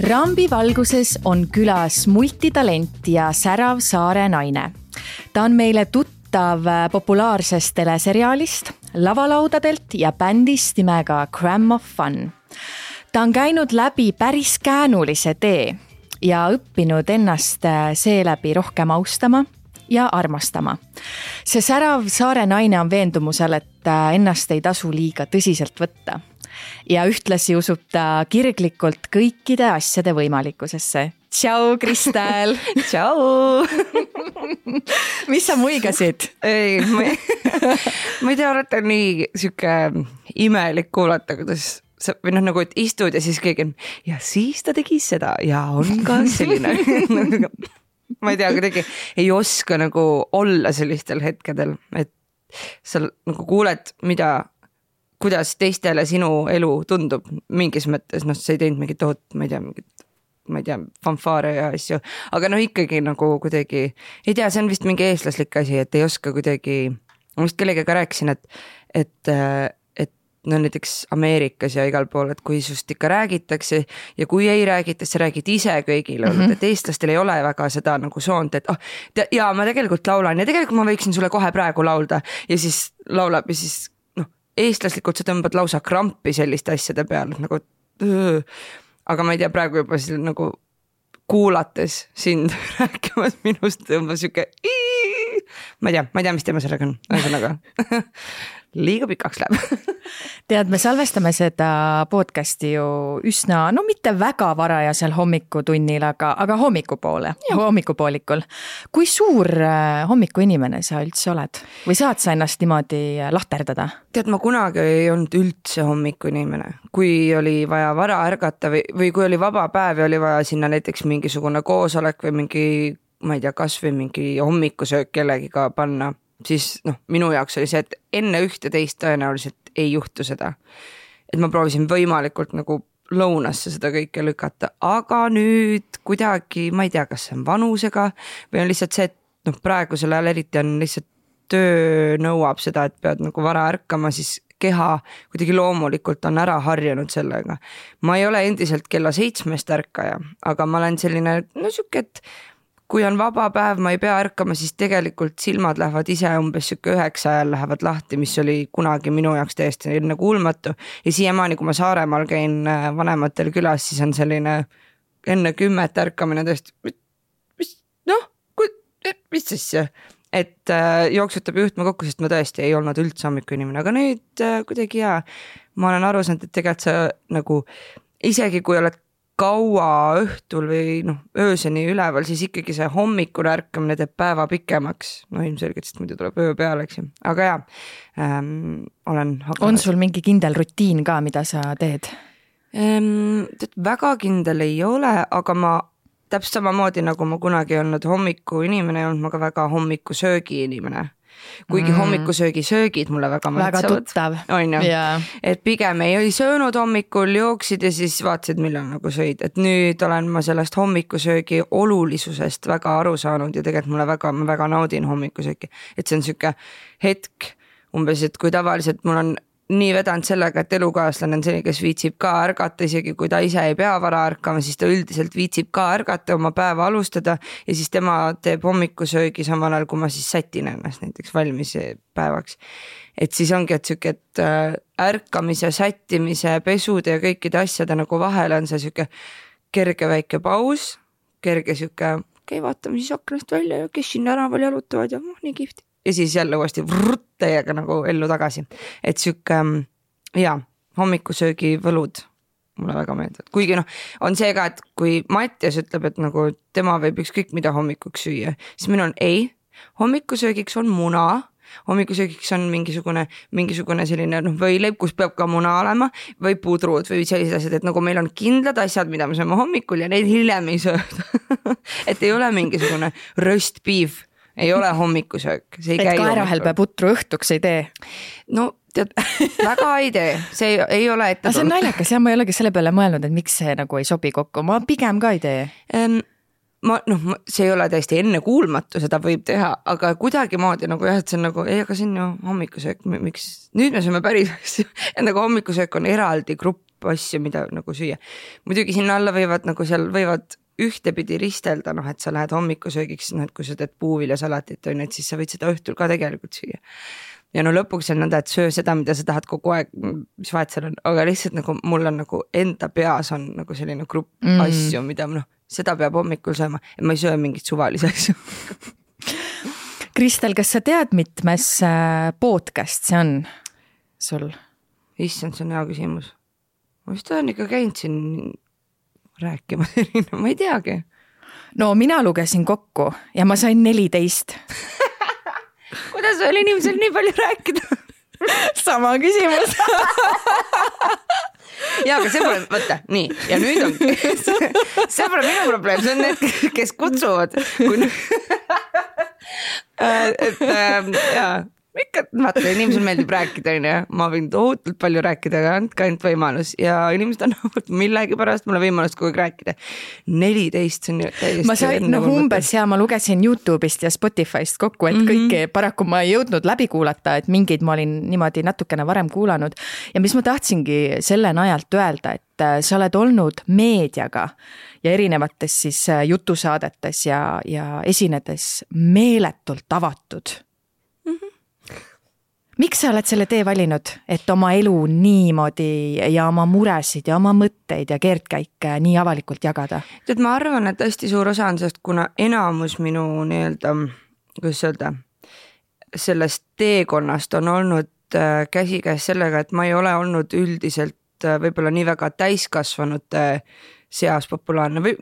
Rambi valguses on külas multitalent ja särav saare naine. Ta on meile tuttav populaarsest teleseriaalist, lavalaudadelt ja bändist nimega Gram of Fun. Ta on käinud läbi päris käänulise tee ja õppinud ennast seeläbi rohkem austama ja armastama. See särav saare naine on veendumusel, et ennast ei tasu liiga tõsiselt võtta. Ja ühtlasi usub ta kirglikult kõikide asjade võimalikkusesse. Tšau, Kristel! Tšau! Mis sa muigasid? Ei, ma ei tea, olete nii siuke imelik kuulata, kuidas sa, või nagu, et istud ja siis keegi on, ja siis ta tegi seda ja on ka selline. Ma ei tea, kuidagi ei oska nagu olla sellistel hetkedel, et sa nagu kuuled, kuidas teistele sinu elu tundub mingis mõttes, sa ei teinud mingit tohut, ma ei tea, fanfaare ja asju, aga ikkagi nagu kuidagi, ei tea, see on vist mingi eestlaslik asi, et ei oska kuidagi, ma vist kellegagi rääkisin, et näiteks Ameerikas ja igal pool, et kui sust ikka räägitakse ja kui ei räägita, sa räägid ise kõigile, et eestlastel ei ole väga seda nagu soont, et ja ma tegelikult laulan ja tegelikult ma võiksin sulle kohe praegu laulda ja siis laulab ja siis eestlaslikult sa tõmbad lausa krampi selliste asjade peale, nagu aga ma ei tea, praegu juba nagu kuulates sind rääkimas minust tõmbas siuke ma ei tea, mis teema sellega on, ühesõnaga liiga pikaks läheb. Tead, me salvestame seda podcasti ju üsna, mitte väga varajasel hommikutunnil, aga hommikupoolikul. Kui suur hommikuinimene sa üldse oled? Või saad sa ennast niimoodi lahterdada? Tead, ma kunagi ei olnud üldse hommikuinimene. Kui oli vaja vara ärgata või kui oli vaba päev ja oli vaja sinna näiteks mingisugune koosolek või mingi, ma ei tea, kas või mingi hommikusöök kellegiga panna, siis minu jaoks oli see, et enne ühte teist tõenäoliselt ei juhtu seda. Et ma proovisin võimalikult nagu lõunasse seda kõike lükata, aga nüüd kuidagi, ma ei tea, kas see on vanusega või on lihtsalt see, et praegusel ajal eriti on lihtsalt töö nõuab seda, et pead nagu vara ärkama, siis keha kuidagi loomulikult on ära harjunud sellega. Ma ei ole endiselt kella 7 ärkaja, aga ma olen selline, siuke, et kui on vaba päev, ma ei pea ärkama, siis tegelikult silmad lähevad ise umbes 9 ajal lähevad lahti, mis oli kunagi minu jaoks täiesti enne kuulmatu. Ja siiamaani, kui ma Saaremaal käin vanematel külas, siis on selline enne 10 ärkamine tõesti, mis asja? Et jooksutab juhtme kokku, sest ma tõesti ei olnud üldse hommikuinimene, aga nüüd kuidagi ma olen aru saanud, et tegelikult sa nagu isegi kui oled kaua õhtul või ööseni üleval, siis ikkagi see hommikul ärkamine teeb päeva pikemaks. Ilmselgelt, sest muidu tuleb öö peale, eks ju. Aga olen hakanud. On sul mingi kindel rutiin ka, mida sa teed? Väga kindel ei ole, aga ma täpselt samamoodi, nagu ma kunagi olnud hommiku inimene, ei olnud ma ka väga hommiku söögi inimene. Kuigi hommikusöögi söögid mulle väga maitsevad. Väga tuttav. On ju. Et pigem ei söönud hommikul, jooksid ja siis vaatasid, millal nagu sõid. Et nüüd olen ma sellest hommikusöögi olulisusest väga aru saanud ja tegelikult ma väga naudin hommikusööki. Et see on siuke hetk umbes, et kui tavaliselt mul on nii vedanud sellega, et elukaaslane on see, kes viitsib ka ärgata, isegi kui ta ise ei pea vara ärkama, siis ta üldiselt viitsib ka ärgata, oma päeva alustada ja siis tema teeb hommikusöögi samal ajal, kui ma siis sätin ennast näiteks valmis päevaks. Et siis ongi, et siuke, et ärkamise, sättimise, pesude ja kõikide asjade nagu vahel on see siuke kerge väike paus, kerge siuke, vaatame siis aknast välja ja kes siin tänaval jalutavad ja nii kihvti. Ja siis jälle uuesti täiega nagu ellu tagasi. Et siuke, hommikusöögi võlud mulle väga meeldivad. Kuigi on see ka, et kui Mattias ütleb, et nagu tema võib ükskõik mida hommikuks süüa, siis minu on ei, hommikusöögiks on muna, hommikuksöögiks on mingisugune selline võileib, kus peab ka muna olema või pudrud või sellised asjad, et nagu meil on kindlad asjad, mida me saame hommikul ja neid hiljem ei sööda. Et ei ole mingisugune roast beef, ei ole hommikusöök. Et kaerahelbe putru õhtuks ei tee? Tead, väga ei tee, see ei ole ette tulnud. See on naljakas ja ma ei olegi selle peale mõelnud, et miks see nagu ei sobi kokku, ma pigem ka ei tee. see ei ole täiesti ennekuulmatu, seda võib teha, aga kuidagi moodi nagu jah, et see on nagu, ei, aga see on ju hommikusöök, miks nüüd me sööme päris asju, et nagu hommikusöök on eraldi grupp asju, mida nagu süüa. Muidugi sinna alla võivad nagu seal võivad ühtepidi ristelda, et sa lähed hommikusöögiks, et kui sa teed puuviljasalatit, et siis sa võid seda õhtul ka tegelikult süüa. Ja lõpuks on nõnda, et söö seda, mida sa tahad kogu aeg, mis vahet seal on, aga lihtsalt nagu mul on nagu enda peas on nagu selline grupp asju, mida seda peab hommikul sööma ja ma ei söö mingit suvalisi asju. Kristel, kas sa tead, mitmes podcast see on sul? Issand, see on hea küsimus. Ma vist olen ikka käinud siin rääkima, ma ei teagi. No mina lugesin kokku ja ma sain 14. Kuidas oli inimesel nii palju rääkida? Sama küsimus. Ja, aga see pole, võtta, nii, ja nüüd on, see pole minu probleem, see on need, kes kutsuvad. Ikka, vaata, inimesel meeldib rääkida, ma võin tohutult palju rääkida, aga andke ainult võimalus ja inimesed annavad millegi pärast mulle võimalust kogu aeg rääkida. 14 on ju täiesti. Ma sain umbes ja ma lugesin YouTube'ist ja Spotify'st kokku, et kõike paraku ma ei jõudnud läbi kuulata, et mingid ma olin niimoodi natukene varem kuulanud ja mis ma tahtsingi selle najalt öelda, et sa oled olnud meediaga ja erinevates siis jutusaadetes ja esinedes meeletult avatud. Miks sa oled selle tee valinud, et oma elu niimoodi ja oma muresid ja oma mõtteid ja keerdkäike nii avalikult jagada? Tead, ma arvan, et hästi suur osa on sellest, kuna enamus minu kuidas öelda, sellest teekonnast on olnud käsikäes sellega, et ma ei ole olnud üldiselt võib-olla nii väga täiskasvanute seas populaarne või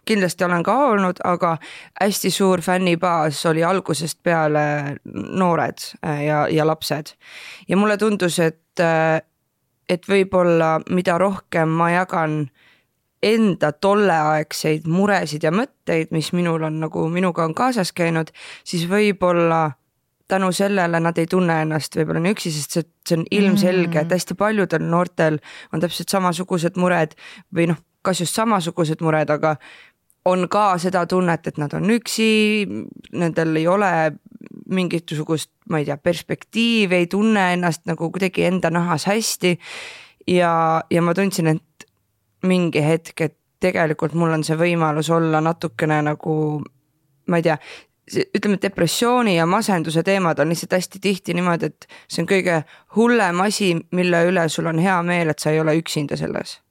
kindlasti olen ka olnud, aga hästi suur fännibaas oli algusest peale noored ja lapsed. Ja mulle tundus, et võib-olla mida rohkem ma jagan enda tolleaegseid muresid ja mõtteid, mis minul on nagu minuga on kaasas käinud, siis võib-olla tänu sellele nad ei tunne ennast võib-olla nii üksi, sest see on ilmselge, et hästi paljudel noortel on täpselt samasugused mured või kas just samasugused mured, aga on ka seda tunnet, et nad on üksi, nendel ei ole mingisugust, ma ei tea, perspektiivi, ei tunne ennast nagu kuidagi enda nahas hästi ja ma tundsin, et mingi hetk, et tegelikult mul on see võimalus olla natukene nagu, ma ei tea, ütleme, depressiooni ja masenduse teemad on lihtsalt hästi tihti niimoodi, et see on kõige hullem asi, mille üle sul on hea meel, et sa ei ole üksinda selles.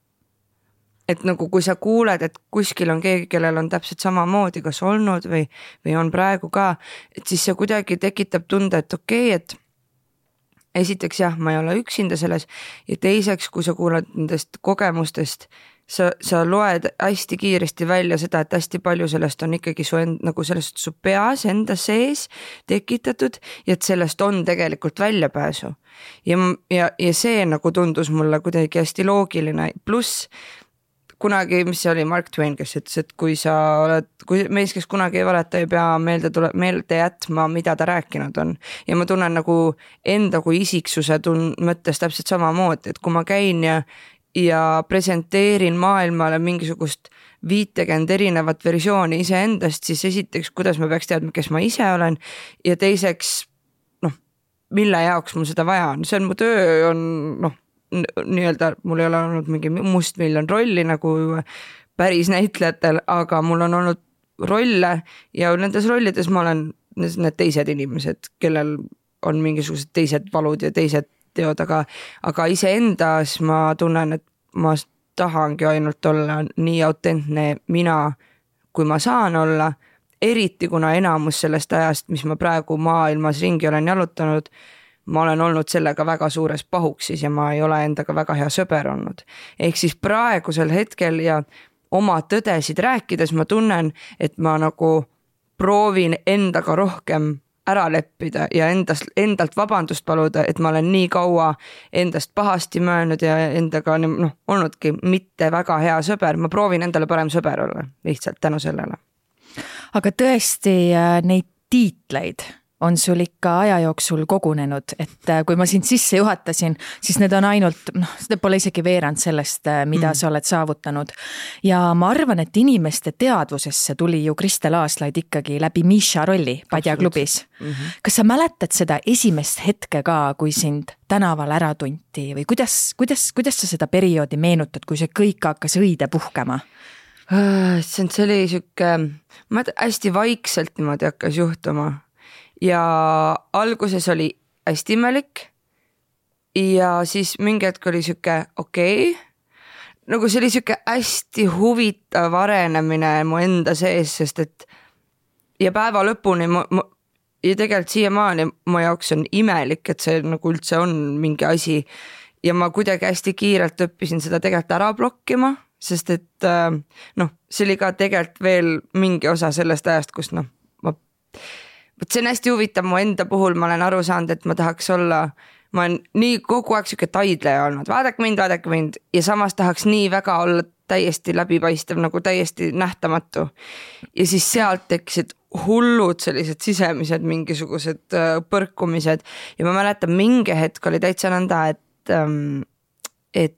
Et nagu kui sa kuuled, et kuskil on keegi, kellel on täpselt samamoodi kas olnud või on praegu ka, et siis see kuidagi tekitab tunde, et okei, et esiteks jah, ma ei ole üksinda selles ja teiseks, kui sa kuuled nendest kogemustest, sa loed hästi kiiresti välja seda, et hästi palju sellest on ikkagi nagu sellest su peas enda sees tekitatud ja et sellest on tegelikult väljapääsu. Ja see nagu tundus mulle kuidagi hästi loogiline, pluss kunagi, mis see oli Mark Twain, kes ütles, et kui mees, kes kunagi ei valeta, ei pea meelde jätma, mida ta rääkinud on. Ja ma tunnen nagu enda kui isiksuse mõttes täpselt samamoodi, et kui ma käin ja presenteerin maailmale mingisugust 50 erinevat versiooni iseendast, siis esiteks, kuidas ma peaks teadma, kes ma ise olen ja teiseks, mille jaoks mul seda vaja on. See on mu töö, on nii-öelda mul ei ole olnud mingi mustmiljon rolli nagu päris näitlejatel, aga mul on olnud rolle ja nendes rollides ma olen need teised inimesed, kellel on mingisugused teised valud ja teised teod, aga iseendas ma tunnen, et ma tahangi ainult olla nii autentne mina, kui ma saan olla, eriti kuna enamus sellest ajast, mis ma praegu maailmas ringi olen jalutanud, ma olen olnud sellega väga suures pahuksis ja ma ei ole endaga väga hea sõber olnud. Ehk siis praegusel hetkel ja oma tõdesid rääkides ma tunnen, et ma nagu proovin endaga rohkem ära leppida ja endalt vabandust paluda, et ma olen nii kaua endast pahasti möönud ja endaga olnudki mitte väga hea sõber. Ma proovin endale parem sõber olla lihtsalt tänu sellele. Aga tõesti neid tiitleid on sul ikka aja jooksul kogunenud, et kui ma sind sisse juhatasin, siis need on ainult, seda pole isegi veerand sellest, mida sa oled saavutanud. Ja ma arvan, et inimeste teadvusesse tuli ju Kristel Aaslaid ikkagi läbi Miša rolli Padja klubis. Kas sa mäletad seda esimest hetke ka, kui sind tänaval ära tunti või kuidas sa seda perioodi meenutad, kui see kõik hakkas õide puhkema? See oli siuke, hästi vaikselt niimoodi hakkas juhtuma ja alguses oli hästi imelik ja siis mingi hetk oli siuke okei. Nagu see oli siuke hästi huvitav arenemine mu enda sees, sest et ja päeva lõpuni ja tegelikult siiamaani mu jaoks on imelik, et see nagu üldse on mingi asi ja ma kuidagi hästi kiirelt õppisin seda tegelikult ära blokkima, sest et see oli ka tegelikult veel mingi osa sellest ajast, kus see on hästi huvitav mu enda puhul, ma olen aru saanud, et ma tahaks olla, ma olen nii kogu aeg siuke taidleja olnud, vaadake mind ja samas tahaks nii väga olla täiesti läbipaistev, nagu täiesti nähtamatu ja siis sealt tekkisid hullud sellised sisemised mingisugused põrkumised ja ma mäletan mingi hetk oli täitsa nõnda, et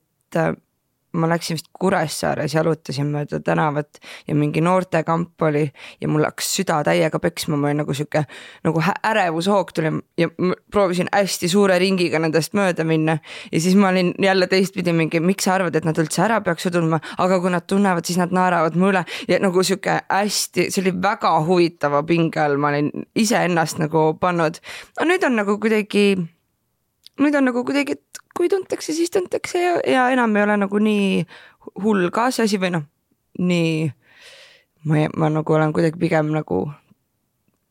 ma läksin vist Kuressaares, jalutasin mööda tänavat ja mingi noortekamp oli ja mul hakkas süda täiega peksma, ma olin nagu siuke nagu ärevushoog tuli ja proovisin hästi suure ringiga nendest mööda minna ja siis ma olin jälle teistpidi mingi, miks sa arvad, et nad üldse ära peaks tundma, aga kui nad tunnevad, siis nad naeravad mu üle ja nagu siuke hästi, see oli väga huvitava pinge all, ma olin iseennast nagu pannud, no nüüd on nagu kuidagi, et kui tuntakse, siis tuntakse ja enam ei ole nagu nii hull ka see asi või nii, ma nagu olen kuidagi pigem nagu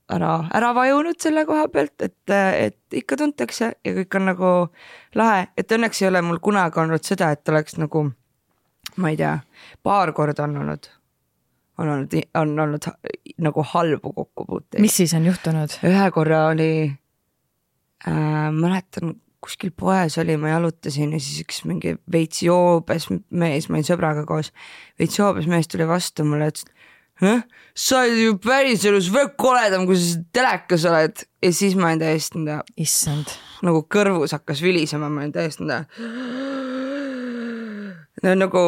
ära vajunud selle koha pealt, et ikka tuntakse ja kõik on nagu lahe, et õnneks ei ole mul kunagi olnud seda, et oleks nagu, ma ei tea, paar korda on olnud nagu halbu kokkupuuteid. Mis siis on juhtunud? Ühe korra oli, mäletan, kuskil poes oli, ma jalutasin ja siis üks mingi veits joobes mees, ma olin sõbraga koos, veits joobes mees tuli vastu mulle, et sa oled ju päris elus veel koledam, kui sa telekas oled ja siis ma olin täiesti issand, nagu kõrvus hakkas vilisema, ma olin täiesti nagu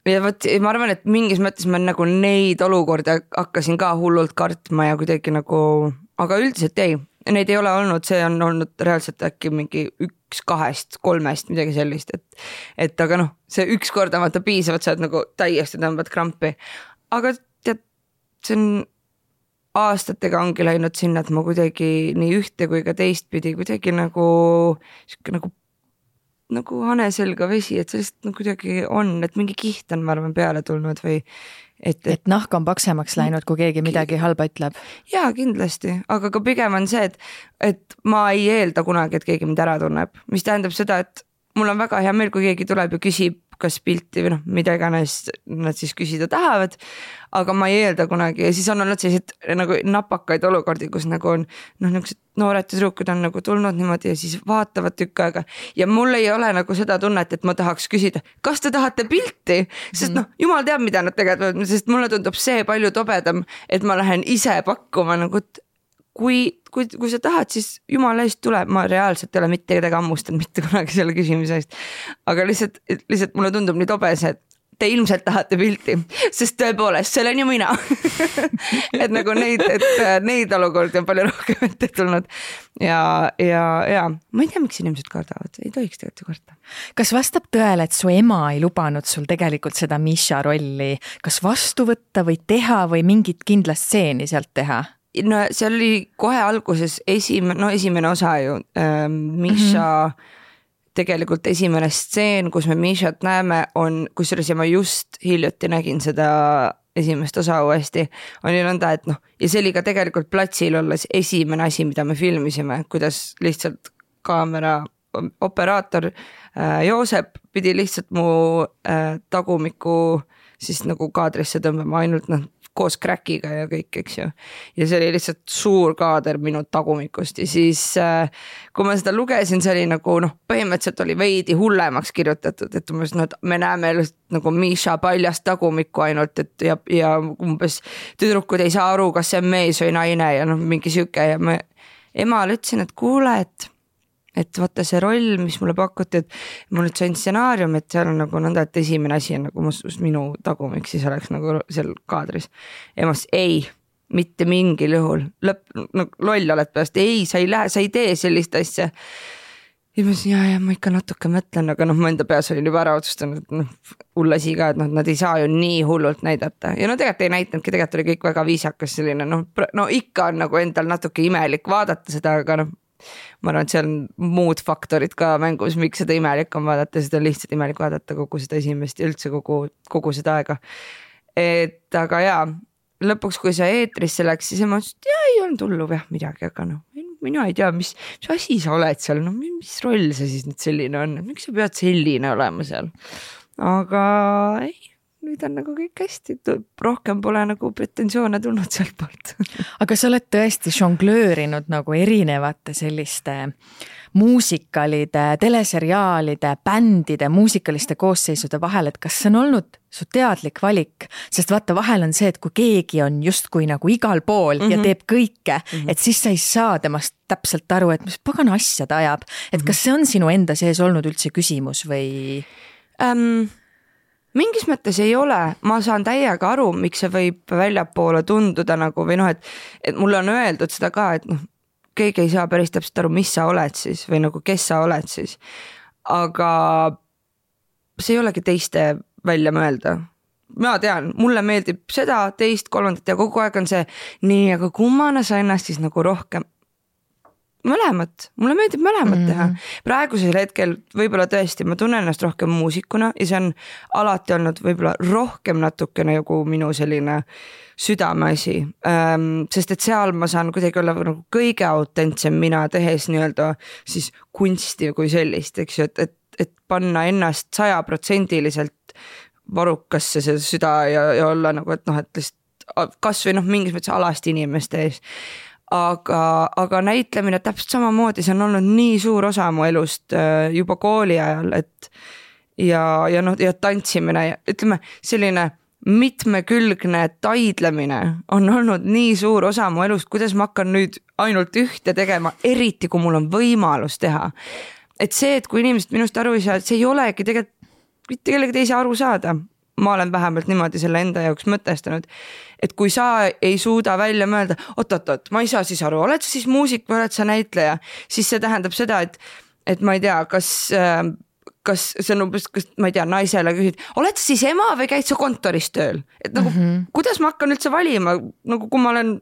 ja võt, ma arvan, et mingis mõttes ma nagu neid olukorda hakkasin ka hullult kartma ja kuidagi nagu, aga üldiselt ei, neid ei ole olnud, see on olnud reaalselt äkki mingi 1, 2, 3 midagi sellist, et aga see üks kord vaata piisavalt, sa oled nagu täiesti tõmbad krampi, aga tead, see on aastatega ongi läinud sinna, et ma kuidagi nii ühte kui ka teistpidi kuidagi nagu hane selga vesi, et sellest kuidagi on, et mingi kiht on, ma arvan, peale tulnud või et nahk on paksemaks läinud, kui keegi midagi halba ütleb. Jaa, kindlasti, aga ka pigem on see, et ma ei eelda kunagi, et keegi mind ära tunneb, mis tähendab seda, et mul on väga hea meel, kui keegi tuleb ja küsib, kas pilti või mida iganes nad siis küsida tahavad, aga ma ei eelda kunagi ja siis on olnud sellised nagu napakaid olukordi, kus nagu on niisugused noored tüdrukud on nagu tulnud niimoodi ja siis vaatavad tükk aega ja mul ei ole nagu seda tunnet, et ma tahaks küsida, kas te tahate pilti, sest jumal teab, mida nad tegelikult, sest mulle tundub see palju tobedam, et ma lähen ise pakkuma nagu, kui sa tahad, siis jumala eest tule, ma reaalselt ei ole mitte kedagi ammustanud mitte kunagi selle küsimise eest, aga lihtsalt mulle tundub nii tobe see, et te ilmselt tahate pilti, sest tõepoolest, see olen ju mina et nagu neid olukordi on palju rohkem ette tulnud ja ma ei tea, miks inimesed kardavad, ei tohiks tegelikult karta. Kas vastab tõele, et su ema ei lubanud sul tegelikult seda Miša rolli kas vastu võtta või teha või mingit kindla stseeni sealt teha? No seal oli kohe alguses esimene osa ju Miša tegelikult esimene stseen, kus me Mišat näeme, on, kusjuures ma just hiljuti nägin seda esimest osa uuesti, on ju nõnda, et ja see oli ka tegelikult platsil olles esimene asi, mida me filmisime, kuidas lihtsalt kaamera operaator Joosep pidi lihtsalt mu tagumiku siis nagu kaadrisse tõmbama ainult koos crackiga ja kõik, eks ju. Ja see oli lihtsalt suur kaader minu tagumikust ja siis kui ma seda lugesin, see oli nagu põhimõtteliselt oli veidi hullemaks kirjutatud, et me näeme nagu Miša paljast tagumikku ainult, et ja umbes tüdrukud ei saa aru, kas see on mees või naine ja mingi siuke ja emale ütlesin, et kuule, et vaata see roll, mis mulle pakuti, et ma nüüd sain stsenaarium, et seal on nagu nõnda, et esimene asi on nagu minu tagumik, siis oleks nagu seal kaadris. Emas ei, mitte mingil juhul, loll oled peast, ei, sa ei tee sellist asja. Ja ma ütlesin, ja ma ikka natuke mõtlen, aga ma enda peas olin juba ära otsustanud, et hull asi ka, et nad ei saa ju nii hullult näidata. Ja tegelikult ei näitanudki, tegelikult oli kõik väga viisakas selline, no ikka on nagu endal natuke imelik vaadata seda, aga ma arvan, et seal on muud faktorid ka mängus, miks seda imelik on vaadata, seda on lihtsalt imelik vaadata kogu seda esimest ja üldse kogu seda aega. Et aga jaa, lõpuks, kui sa eetrisse läks, siis ma ütlesin, et ei olnud hullu midagi, aga mina ei tea, mis asi sa oled seal, mis roll see siis nüüd selline on, miks sa pead selline olema seal. Aga ei, nüüd on nagu kõik hästi, rohkem pole nagu pretensioone tulnud sealt poolt. Aga sa oled tõesti žonglöörinud nagu erinevate selliste muusikalide, teleseriaalide, bändide, muusikaliste koosseisude vahel, et kas see on olnud su teadlik valik, sest vaata vahel on see, et kui keegi on justkui nagu igal pool ja teeb kõike, et siis sa ei saa temast täpselt aru, et mis pagana asja ta ajab, et kas see on sinu enda sees olnud üldse küsimus või? Mingis mõttes ei ole, ma saan täiega aru, miks see võib väljapoole tunduda nagu või et mulle on öeldud seda ka, et keegi ei saa päris täpselt aru, mis sa oled siis või nagu kes sa oled siis, aga see ei olegi teiste välja mõelda. Ma tean, mulle meeldib seda, teist, kolmandat ja kogu aeg on see nii, aga kummana sa ennast siis nagu rohkem mõlemat, mulle meeldib mõlemat teha. Praegusel hetkel võib-olla tõesti, ma tunnen ennast rohkem muusikuna ja see on alati olnud võib-olla rohkem natukene nagu minu selline südameasi, sest et seal ma saan kuidagi olla nagu kõige autentsem mina tehes nii-öelda siis kunsti kui sellist, eks ju, et panna ennast 100% varukasse see süda ja olla nagu, et et lihtsalt kas või mingis mõttes alasti inimeste ees. Aga näitlemine täpselt samamoodi, see on olnud nii suur osa mu elust juba kooli ajal, et ja tantsimine ja ütleme selline mitmekülgne taidlemine on olnud nii suur osa mu elust, kuidas ma hakkan nüüd ainult ühte tegema, eriti kui mul on võimalus teha. Et see, et kui inimesed minust aru ei saa, et see ei olegi tegelikult mitte kellegi teise aru saada. Ma olen vähemalt niimoodi selle enda jaoks mõtestanud, et kui sa ei suuda välja mõelda, oot, ma ei saa siis aru, oled sa siis muusik või oled sa näitleja, siis see tähendab seda, et ma ei tea, kas see on umbes, kas ma ei tea, naisele küsid, oled sa siis ema või käid sa kontoris tööl? Et nagu, kuidas ma hakkan üldse valima, nagu kui ma olen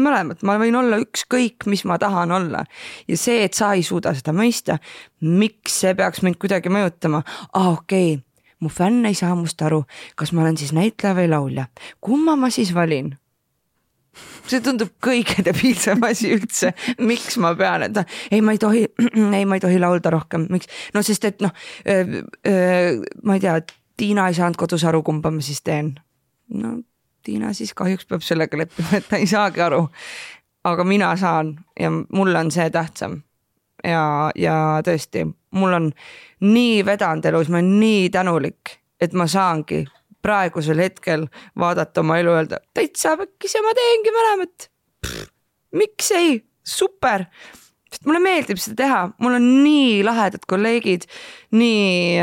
mõlemad, ma võin olla ükskõik, mis ma tahan olla. Ja see, et sa ei suuda seda mõista, miks see peaks mind kuidagi mõjutama? Okei. Mu fänn ei saa must aru, kas ma olen siis näitleja või laulja. Kumma ma siis valin? See tundub kõige debiilsem asi üldse. Miks ma pean, et ma ei tohi laulda rohkem. Miks? No sest, et ma ei tea, Tiina ei saanud kodus aru, kumba ma siis teen. No Tiina siis kahjuks peab sellega leppima, et ta ei saagi aru. Aga mina saan ja mul on see tähtsam. Ja tõesti, mul on nii vedanud elus, ma olen nii tänulik, et ma saangi praegusel hetkel vaadata oma elu öelda, täitsa väkkis ja ma teengi mõlemat. Miks ei? Super! Sest mulle meeldib seda teha, mul on nii lahedad kolleegid, nii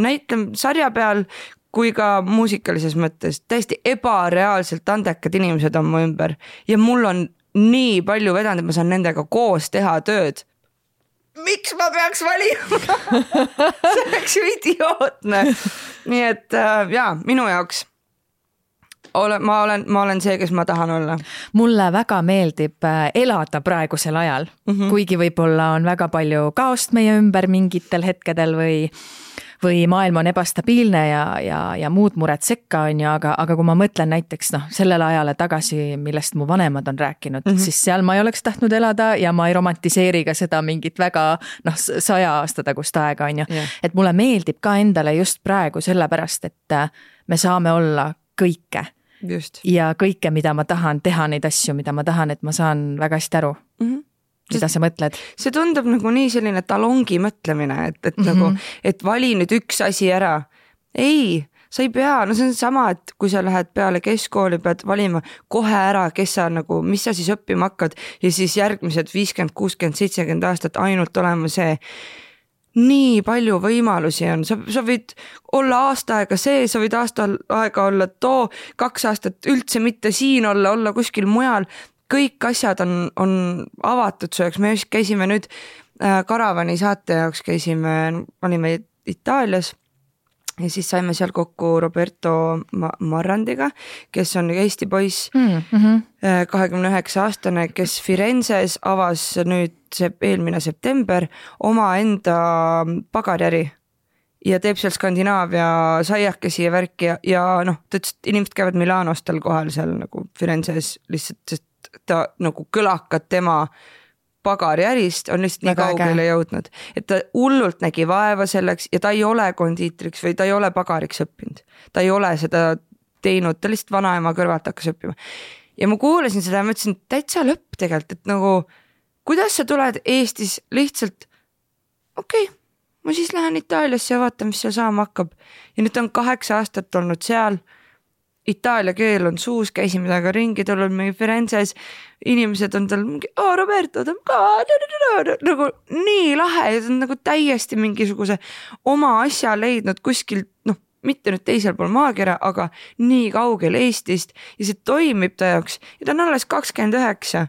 näitlem sarja peal kui ka muusikalises mõttes, täiesti ebareaalselt andekad inimesed on mu ümber ja mul on nii palju vedanud, et ma saan nendega koos teha tööd. Miks ma peaks valima? See oleks ju idiootne. Nii et minu jaoks ma olen see, kes ma tahan olla. Mulle väga meeldib elada praegusel ajal, kuigi võib-olla on väga palju kaost meie ümber mingitel hetkedel või maailm on ebastabiilne ja muud mured sekka on ju, aga kui ma mõtlen näiteks sellele ajale tagasi, millest mu vanemad on rääkinud, siis seal ma ei oleks tahtnud elada ja ma ei romantiseeri ka seda mingit väga 100 aasta tagust aega on ju. Et mulle meeldib ka endale just praegu sellepärast, et me saame olla kõike. Just. Ja kõike, mida ma tahan, teha neid asju, mida ma tahan, et ma saan väga hästi aru. Mida sa mõtled? See tundub nagu nii selline talongi mõtlemine, et nagu, et vali nüüd üks asi ära. Ei, sa ei pea, no see on sama, et kui sa lähed peale keskkooli, pead valima kohe ära, kes sa nagu, mis sa siis õppima hakkad ja siis järgmised 50, 60, 70 aastat ainult olema see. Nii palju võimalusi on, sa võid olla aasta aega see, sa võid aasta aega olla 2 aastat üldse mitte siin olla kuskil mujal. Kõik asjad on avatud su jaoks, me just käisime nüüd Karavani saate jaoks olime Itaalias ja siis saime seal kokku Roberto Marrandiga, kes on Eesti poiss, 29-aastane, kes Firenzes avas nüüd eelmine september oma enda pagariäri ja teeb seal Skandinaavia saiakesi ja värki ja noh, ta ütles, et inimesed käivad Milanost tal kohal seal nagu Firenzes lihtsalt, sest ta nagu kõlakad tema pagariärist on lihtsalt nii kaugele jõudnud, et ta hullult nägi vaeva selleks ja ta ei ole kondiitriks või ta ei ole pagariks õppinud. Ta ei ole seda teinud, ta lihtsalt vanaema kõrvalt hakkas õppima. Ja ma kuulasin seda ja ma ütlesin, täitsa lõpp tegelikult, et nagu kuidas sa tuled Eestis lihtsalt okei, ma siis lähen Itaaliasse ja vaatan, mis seal saama hakkab. Ja nüüd on 8 aastat olnud seal. Itaalia keel on suus, käisime temaga ringi, tal on mingi Firenzes, inimesed on tal mingi, Roberto, ta on ka nagu nii lahe ja ta on nagu täiesti mingisuguse oma asja leidnud kuskil, noh, mitte nüüd teisel pool maakera, aga nii kaugel Eestist ja see toimib ta jaoks ja ta on alles 29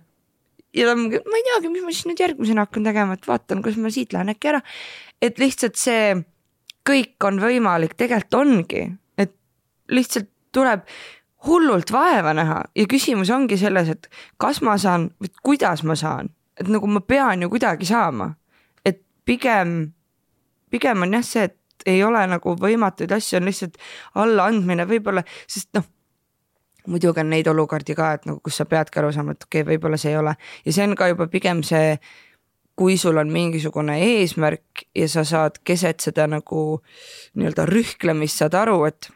ja ta on, ma ei teagi, mis ma siis nüüd järgmisena hakkan tegema, et vaatan, kus ma siit lähen äkki ära, et lihtsalt see kõik on võimalik, tegelikult ongi, et lihtsalt tuleb hullult vaeva näha ja küsimus ongi selles, et kas ma saan või kuidas ma saan, et nagu ma pean ju kuidagi saama, et pigem on jah see, et ei ole nagu võimatuid asju, on lihtsalt alla andmine võib-olla, sest noh, muidugi on neid olukordi ka, et nagu kus sa peadki aru saama, et okei, võib-olla see ei ole ja see on ka juba pigem see, kui sul on mingisugune eesmärk ja sa saad keset seda nagu nii-öelda rühklemist saad aru, et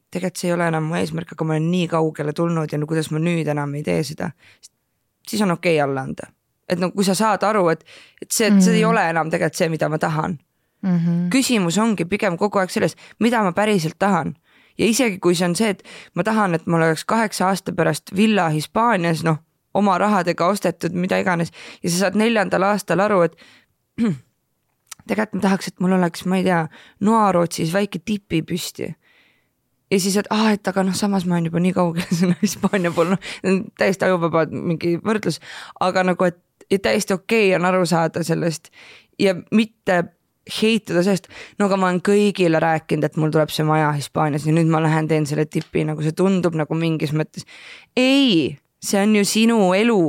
tegelikult see ei ole enam mu eesmärk, aga ma olen nii kaugele tulnud ja no kuidas ma nüüd enam ei tee seda, siis on okei alla anda. Et no kui sa saad aru, et see ei ole enam tegelikult see, mida ma tahan. Küsimus ongi pigem kogu aeg selles, mida ma päriselt tahan. Ja isegi kui see on see, et ma tahan, et mul oleks 8 aasta pärast villa Hispaanias, noh, oma rahadega ostetud, mida iganes, ja sa saad 4. aastal aru, et tegelikult ma tahaks, et mul oleks, ma ei tea, Noarootsis väike tipi püsti. Ja siis, et aga noh, samas ma olen juba nii kaugele sinna Hispaania pool, noh, täiesti ajuvabad mingi võrdlus, aga nagu, et täiesti okei on aru saada sellest ja mitte heituda sellest, no aga ma olen kõigile rääkinud, et mul tuleb see maja Hispaanias ja nüüd ma lähen teen selle tipi, nagu see tundub nagu mingis mõttes. Ei, see on ju sinu elu,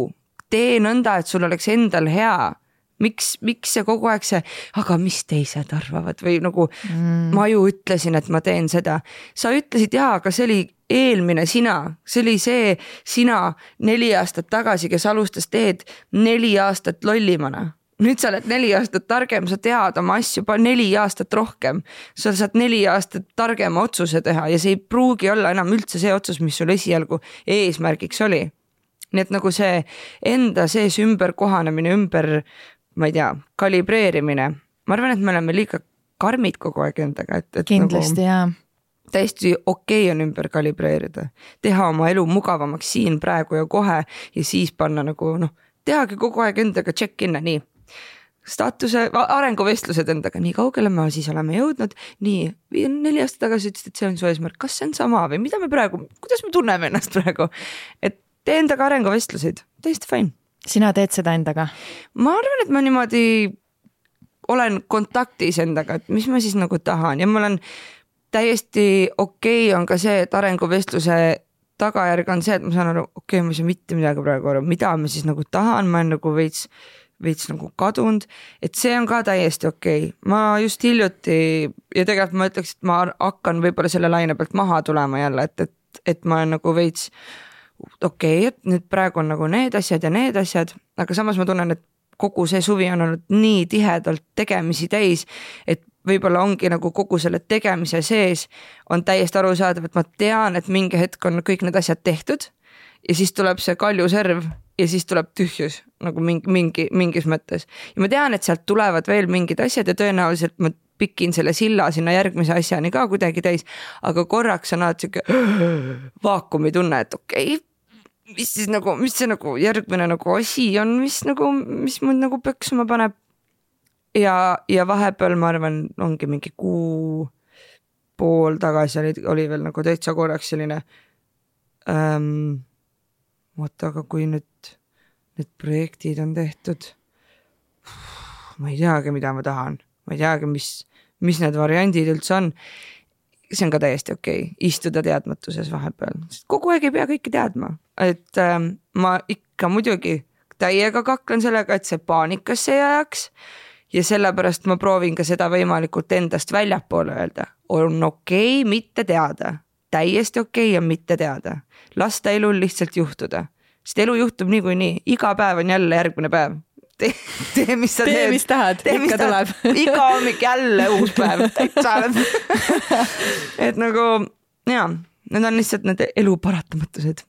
tee nõnda, et sul oleks endal hea. Miks see kogu aeg see, aga mis teised arvavad või nagu ma ju ütlesin, et ma teen seda. Sa ütlesid aga see oli eelmine sina, see oli see sina 4 aastat tagasi, kes alustas teed 4 aastat lollimana. Nüüd sa oled 4 aastat targem, sa tead oma asju 4 aastat rohkem. Sa saad 4 aastat targema otsuse teha ja see ei pruugi olla enam üldse see otsus, mis sul esialgu eesmärgiks oli. Nii et nagu see enda sees ümber kohanemine, ma ei tea, kalibreerimine. Ma arvan, et me oleme liiga karmid kogu aeg endaga. Et kindlasti, nagu, täiesti okei on ümber kalibreerida. Teha oma elu mugavamaks siin praegu ja kohe ja siis panna nagu, noh, tehagi kogu aeg endaga check-in, nii. Staatuse, arenguvestlused endaga, nii kaugele me siis oleme jõudnud, nii 4 aastat tagasi ütlesid, et see on su eesmärk, kas see on sama või mida me praegu, kuidas me tunneme ennast praegu, et tee endaga arenguvestluseid, täiesti fine. Sina teed seda endaga? Ma arvan, et ma niimoodi olen kontaktis endaga, et mis ma siis nagu tahan ja mul on täiesti okei on ka see, et arenguvestluse tagajärg on see, et ma saan aru, okei, ma ei saa mitte midagi praegu aru, mida ma siis nagu tahan, ma olen nagu veits nagu kadunud, et see on ka täiesti okei. Ma just hiljuti ja tegelikult ma ütleks, et ma hakkan võib-olla selle laine pealt maha tulema jälle, et ma olen nagu veits okei, et nüüd praegu on nagu need asjad ja need asjad, aga samas ma tunnen, et kogu see suvi on olnud nii tihedalt tegemisi täis, et võib-olla ongi nagu kogu selle tegemise sees on täiesti arusaadav, et ma tean, et mingi hetk on kõik need asjad tehtud ja siis tuleb see kaljuserv ja siis tuleb tühjus nagu mingis mõttes. Ja ma tean, et sealt tulevad veel mingid asjad ja tõenäoliselt ma pikin selle silla sinna järgmise asjani ka kuidagi täis, aga korraks on alati siuke vaakumi tunne, et okei, mis siis nagu, mis see nagu järgmine nagu asi on, mis mund nagu pöksuma paneb. Ja vahepeal ma arvan, ongi mingi kuu pool tagasi oli veel nagu täitsa korraks selline aga kui nüüd need projektid on tehtud, ma ei teagi, mida ma tahan, ma ei teagi, mis need variandid üldse on. See on ka täiesti okei, istuda teadmatuses vahepeal. Kogu aeg ei pea kõike teadma, et ma ikka muidugi täiega kaklen sellega, et see paanikasse ei ajaks ja sellepärast ma proovin ka seda võimalikult endast väljapoole öelda. On okei mitte teada, täiesti okei on mitte teada. Lasta elul lihtsalt juhtuda, sest elu juhtub niikuinii, iga päev on jälle järgmine päev. Tee, mis sa teed. Mis tahad, ikka tuleb. Iga hommik jälle uus päev. Et nagu, need on lihtsalt need elu paratamatused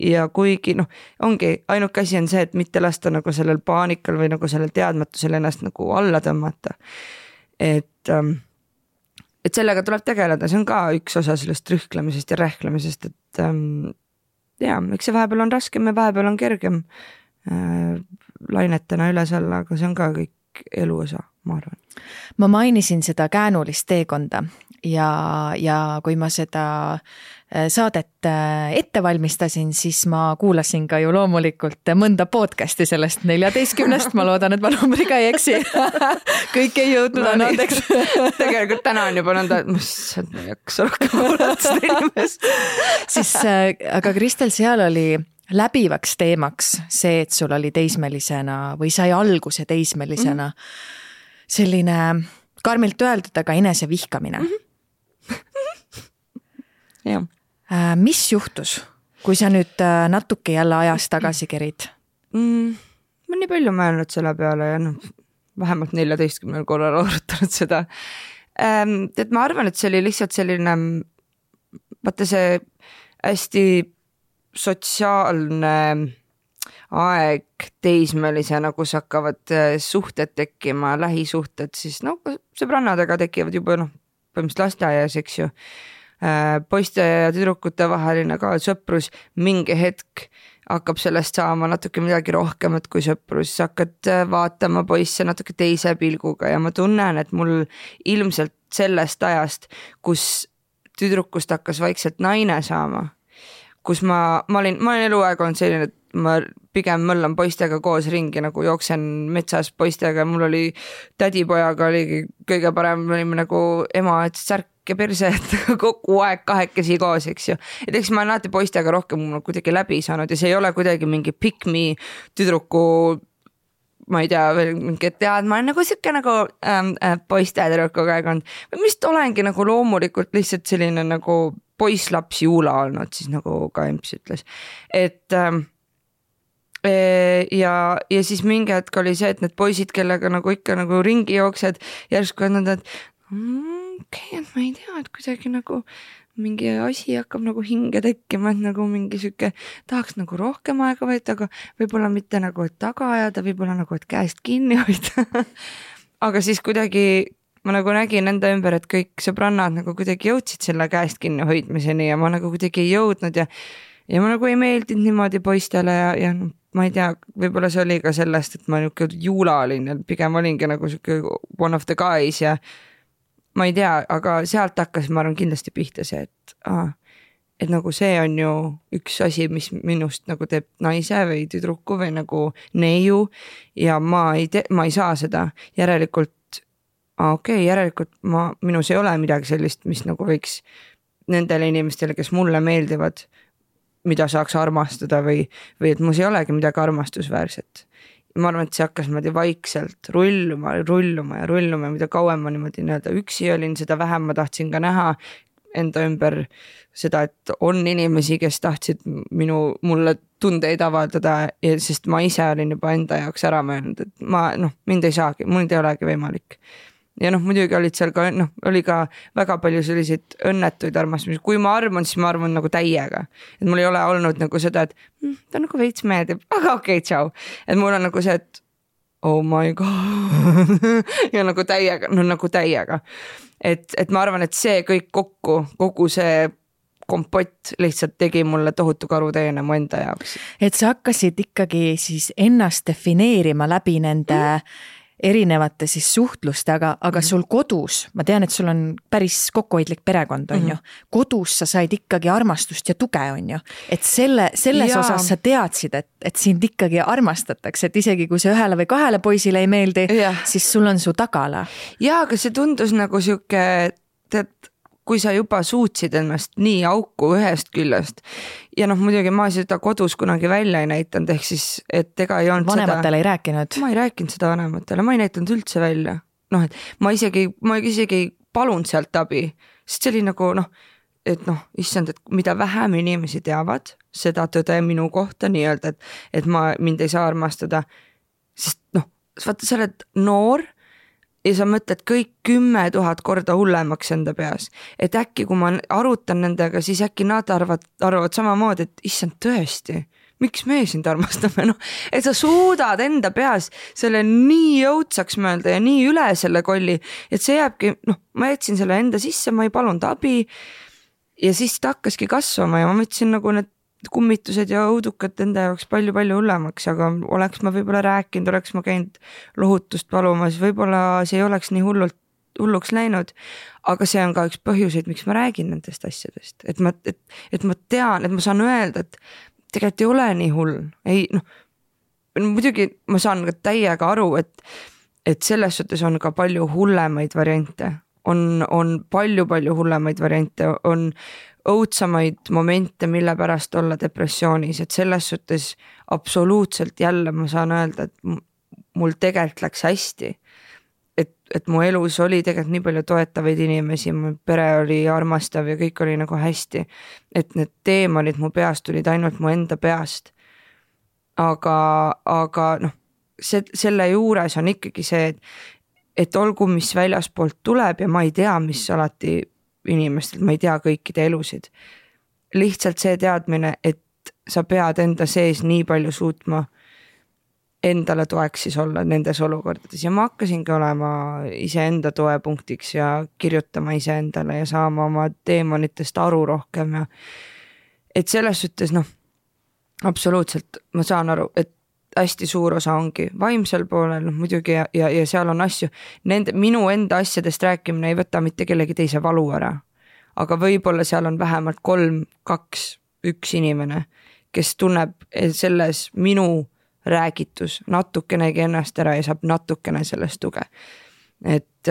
ja kuigi, ongi, ainuke asi on see, et mitte lasta nagu sellel paanikal või nagu sellel teadmatusel ennast nagu alla tõmmata. Et sellega tuleb tegeleda, see on ka üks osa sellest rühklemisest ja rähklemisest, et eks see vahepeal on raskem ja vahepeal on kergem lainetena üles alla, aga see on ka kõik elu osa, ma arvan. Ma mainisin seda käänulist teekonda ja kui ma seda saadet ette valmistasin, siis ma kuulasin ka ju loomulikult mõnda podcasti sellest 14, ma loodan, et ma numbriga ei eksi. Kõik ei jõudnud, annandeks. Tegelikult täna on juba nõnda, et ma ei jaksa rohkem kuulata seda inimest. Siis, aga Kristel, seal oli läbivaks teemaks see, et sul oli teismelisena või sai alguse teismelisena selline karmilt öeldud, aga enese vihkamine. Jah. Mis juhtus, kui sa nüüd natuke jälle ajas tagasi kerid? Ma nii palju mõelnud selle peale ja vähemalt 14 korral arutanud seda. Et ma arvan, et see oli lihtsalt selline, vaata see hästi sotsiaalne aeg teismelisena, kus hakkavad suhted tekkima, lähisuhted, siis sõbrannadega tekivad juba põhimõtteliselt lasteaias, eks ju. Poiste ja tüdrukute vaheline ka sõprus, mingi hetk hakkab sellest saama natuke midagi rohkemat kui sõprus, hakkad vaatama poisse natuke teise pilguga ja ma tunnen, et mul ilmselt sellest ajast, kus tüdrukust hakkas vaikselt naine saama, kus ma olin eluaeg olnud selline, et ma pigem möllan poistega koos ringi, nagu jooksen metsas poistega, mul oli tädipojaga oligi kõige parem, me olime nagu ema, et särk ja perse, et kogu aeg kahekesi koos, eks ju. Et eks ma olen alati poistega rohkem kuidagi läbi saanud ja see ei ole kuidagi mingi pick me tüdruku, ma ei tea, veel mingi tead, ma olen nagu siuke nagu poiste tüdrukuga aeg olnud. Või vist olengi nagu loomulikult lihtsalt selline nagu poislaps juula olnud, siis nagu ka Emps ütles. Et ja siis mingi hetk oli see, et need poisid, kellega nagu ikka nagu ringi jooksed, järsku on nad, et et ma ei tea, et kuidagi nagu mingi asi hakkab nagu hinge tekkima, et nagu mingi siuke tahaks nagu rohkem aega võtta, aga võib-olla mitte nagu, et taga ajada, võib-olla nagu, et käest kinni hoida. Aga siis kuidagi ma nagu nägin enda ümber, et kõik sõbrannad nagu kuidagi jõudsid selle käest kinni hoidmiseni ja ma nagu kuidagi ei jõudnud ja ma nagu ei meeldinud niimoodi poistele ja ma ei tea, võib-olla see oli ka sellest, et ma juula olin ja pigem olingi nagu siuke one of the guys ja ma ei tea, aga sealt hakkas, ma arvan kindlasti pihta see, et nagu see on ju üks asi, mis minust nagu teeb naise või tüdruku või nagu neiu ja ma ei saa seda järelikult, järelikult minus ei ole midagi sellist, mis nagu võiks nendele inimestele, kes mulle meeldivad, mida saaks armastada või et mus ei olegi midagi armastusväärset. Ma arvan, et see hakkas vaikselt rulluma, mida kauem ma niimoodi üksi olin, seda vähem ma tahtsin ka näha enda ümber seda, et on inimesi, kes tahtsid mulle tundeid avaldada, sest ma ise olin juba enda jaoks ära mõelnud, et mind ei saagi, mul ei olegi võimalik. Ja muidugi olid seal ka, oli ka väga palju selliseid õnnetuid armastamisi. Kui ma armun, siis ma armun nagu täiega. Et mul ei ole olnud nagu seda, et ta nagu veits meeldib, aga okei, tšau. Et mul on nagu see, et oh my god ja nagu täiega, et ma arvan, et see kõik kokku, kogu see kompott lihtsalt tegi mulle tohutu karuteene mu enda jaoks. Et sa hakkasid ikkagi siis ennast defineerima läbi nende erinevate siis suhtluste, aga sul kodus, ma tean, et sul on päris kokkuhoidlik perekond, on ju. Kodus sa said ikkagi armastust ja tuge, on ju. Et selles osas sa teadsid, et sind ikkagi armastatakse, et isegi kui see 1 või 2 poisile ei meeldi, siis sul on su tagala. Ja, aga see tundus nagu siuke, kui sa juba suutsid ennast nii auku ühest küljest ja muidugi ma seda kodus kunagi välja ei näitanud, ehk siis, et ega ei olnud vanematele ei rääkinud? Ma ei rääkinud seda vanematele, ma ei näitanud üldse välja. Et ma isegi ei palunud sealt abi, sest see oli nagu issand, et mida vähem inimesi teavad seda tõde minu kohta nii-öelda, et mind ei saa armastada, sest vaata, sa oled noor ja sa mõtled kõik 10 000 korda hullemaks enda peas, et äkki kui ma arutan nendega, siis äkki nad arvavad samamoodi, et issand tõesti, miks me sind armastame, et sa suudad enda peas selle nii jõudsaks mõelda ja nii üle selle kolli, et see jääbki, ma jätsin selle enda sisse, ma ei palunud abi ja siis ta hakkaski kasvama ja ma mõtlesin nagu need kummitused ja õudukad enda jaoks palju-palju hullemaks, aga oleks ma võib-olla rääkinud, oleks ma käinud lohutust palumas, võib-olla see ei oleks nii hulluks läinud, aga see on ka üks põhjuseid, miks ma räägin nendest asjadest, et ma tean, et ma saan öelda, et tegelikult ei ole nii hull, muidugi ma saan ka täiega aru, et selles suhtes on ka palju hullemaid variante, on palju-palju hullemaid variante, on õudsamaid momente, mille pärast olla depressioonis, et selles suhtes absoluutselt jälle ma saan öelda, et mul tegelikult läks hästi, et mu elus oli tegelikult nii palju toetavaid inimesi, mu pere oli armastav ja kõik oli nagu hästi, et need teemonid mu peast tulid ainult mu enda peast, aga selle juures on ikkagi see, et olgu mis väljaspoolt tuleb ja ma ei tea, mis alati inimestelt, ma ei tea kõikide elusid. Lihtsalt see teadmine, et sa pead enda sees nii palju suutma endale toeks siis olla nendes olukordades ja ma hakkasingi olema iseenda toepunktiks ja kirjutama iseendale ja saama oma teemonitest aru rohkem ja et selles suhtes absoluutselt ma saan aru, et hästi suur osa ongi vaimsel poolel muidugi ja seal on asju, minu enda asjadest rääkimine ei võta mitte kellegi teise valu ära, aga võib-olla seal on vähemalt 3, 2, 1 inimene, kes tunneb selles minu räägitus natukenegi ennast ära ja saab natukene sellest tuge. Et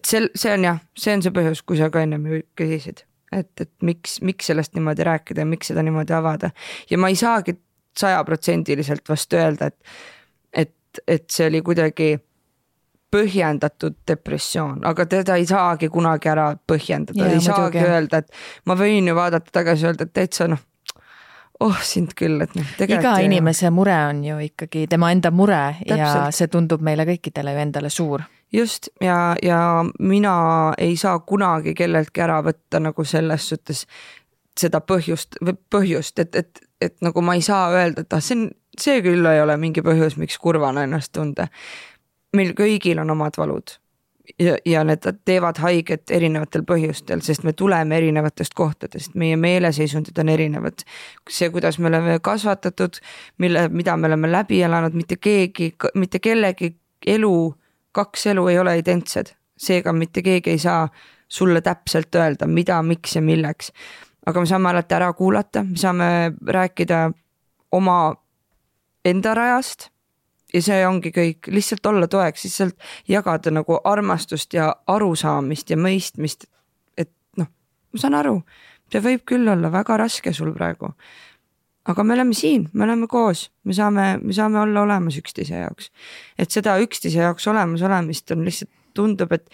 see on see põhjus, kui sa ka ennem küsisid, et miks sellest niimoodi rääkida ja miks seda niimoodi avada ja ma ei saagi 100% vastu öelda, et see oli kuidagi põhjendatud depressioon, aga teda ei saagi kunagi ära põhjendada, ei saagi öelda, et ma võin ju vaadata tagasi öelda, et täitsa sind küll, et iga inimese mure on ju ikkagi tema enda mure. Täpselt. Ja see tundub meile kõikidele ju endale suur. Just ja mina ei saa kunagi kelleltki ära võtta nagu selles suhtes seda põhjust, et nagu ma ei saa öelda, et see küll ei ole mingi põhjus, miks kurvana ennast tunda. Meil kõigil on omad valud ja need teevad haiget erinevatel põhjustel, sest me tuleme erinevatest kohtadest, meie meeleseisundid on erinevad. See, kuidas me oleme kasvatatud, mida me oleme läbi elanud, mitte kellegi elu, 2 elu ei ole identsed. Seega mitte keegi ei saa sulle täpselt öelda, mida, miks ja milleks. Aga me saame alati ära kuulata, me saame rääkida oma enda rajast ja see ongi kõik, lihtsalt olla toeks, lihtsalt jagada nagu armastust ja arusaamist ja mõistmist, et ma saan aru, see võib küll olla väga raske sul praegu, aga me oleme siin, me oleme koos, me saame olla olemas üksteise jaoks, et seda üksteise jaoks olemas olemist on lihtsalt tundub, et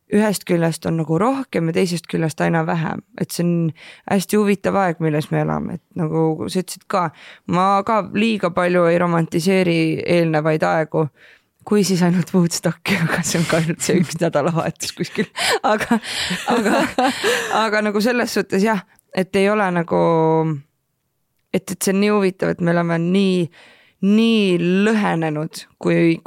ühest küljest on nagu rohkem ja teisest küljest aina vähem, et see on hästi huvitav aeg, milles me elame, et nagu sa ütlesid ka, ma ka liiga palju ei romantiseeri eelnevaid aegu, kui siis ainult Woodstocki, aga see on ka ainult see 1 nädalavahetus kuskil, aga nagu selles suhtes et ei ole nagu, et see on nii huvitav, et me oleme nii lõhenenud, kui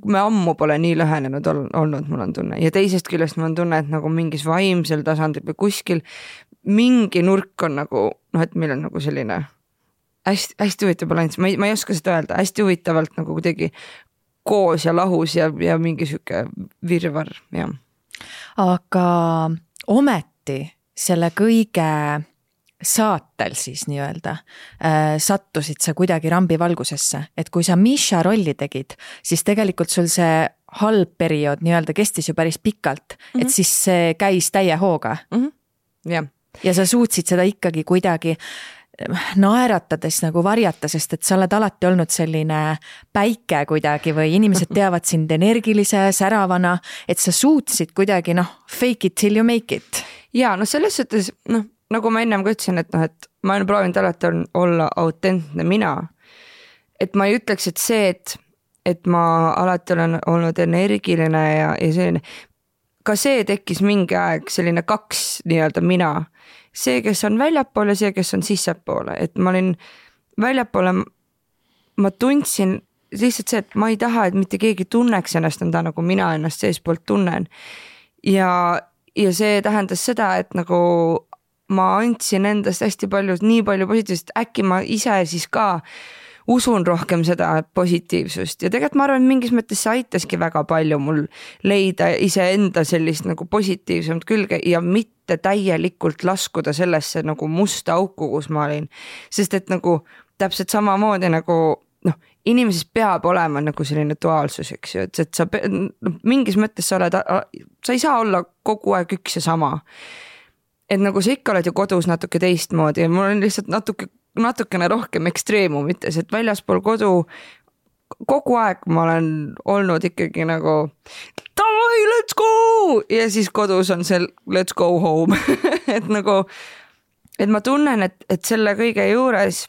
me ammu pole nii lõhenenud olnud, mul on tunne. Ja teisest küljest mul on tunne, et nagu mingis vaimsel tasandil või kuskil mingi nurk on nagu, et meil on nagu selline hästi huvitav balanss, ma ei oska seda öelda, hästi huvitavalt nagu kuidagi koos ja lahus ja mingi sihuke virvar, jah. Aga ometi selle kõige saatel siis nii-öelda sattusid sa kuidagi rambivalgusesse, et kui sa Misha rolli tegid, siis tegelikult sul see halb periood nii-öelda kestis ju päris pikalt, et siis see käis täie hooga. Jah. Ja sa suutsid seda ikkagi kuidagi naeratades nagu varjata, sest et sa oled alati olnud selline päike kuidagi või inimesed teavad sind energilise, säravana, et sa suutsid kuidagi fake it till you make it. Ja selles suhtes, nagu ma ennem ka ütlesin, et ma olen proovinud alati olla autentne mina. Et ma ei ütleks, et see, et ma alati olen olnud energiline ja selline, ka see tekkis mingi aeg selline kaks nii-öelda mina. See, kes on väljapoole, see, kes on sissepoole. Et ma olin väljapoole, ma tundsin lihtsalt see, et ma ei taha, et mitte keegi tunneks ennast nõnda, nagu mina ennast seespoolt tunnen. Ja see tähendas seda, et nagu ma andsin endast hästi palju, nii palju positiivsust, äkki ma ise siis ka usun rohkem seda positiivsust ja tegelikult ma arvan, et mingis mõttes see aitaski väga palju mul leida iseenda sellist nagu positiivsemat külge ja mitte täielikult laskuda sellesse nagu musta auku, kus ma olin. Sest et nagu täpselt samamoodi nagu inimeses peab olema nagu selline duaalsus, eks ju, et sa mingis mõttes sa ei saa olla kogu aeg üks ja sama. Et nagu sa ikka oled ju kodus natuke teistmoodi ja mul on lihtsalt natukene rohkem ekstreemumites, et väljaspool kodu kogu aeg ma olen olnud ikkagi nagu davai, let's go! Ja siis kodus on see let's go home. et ma tunnen, et selle kõige juures,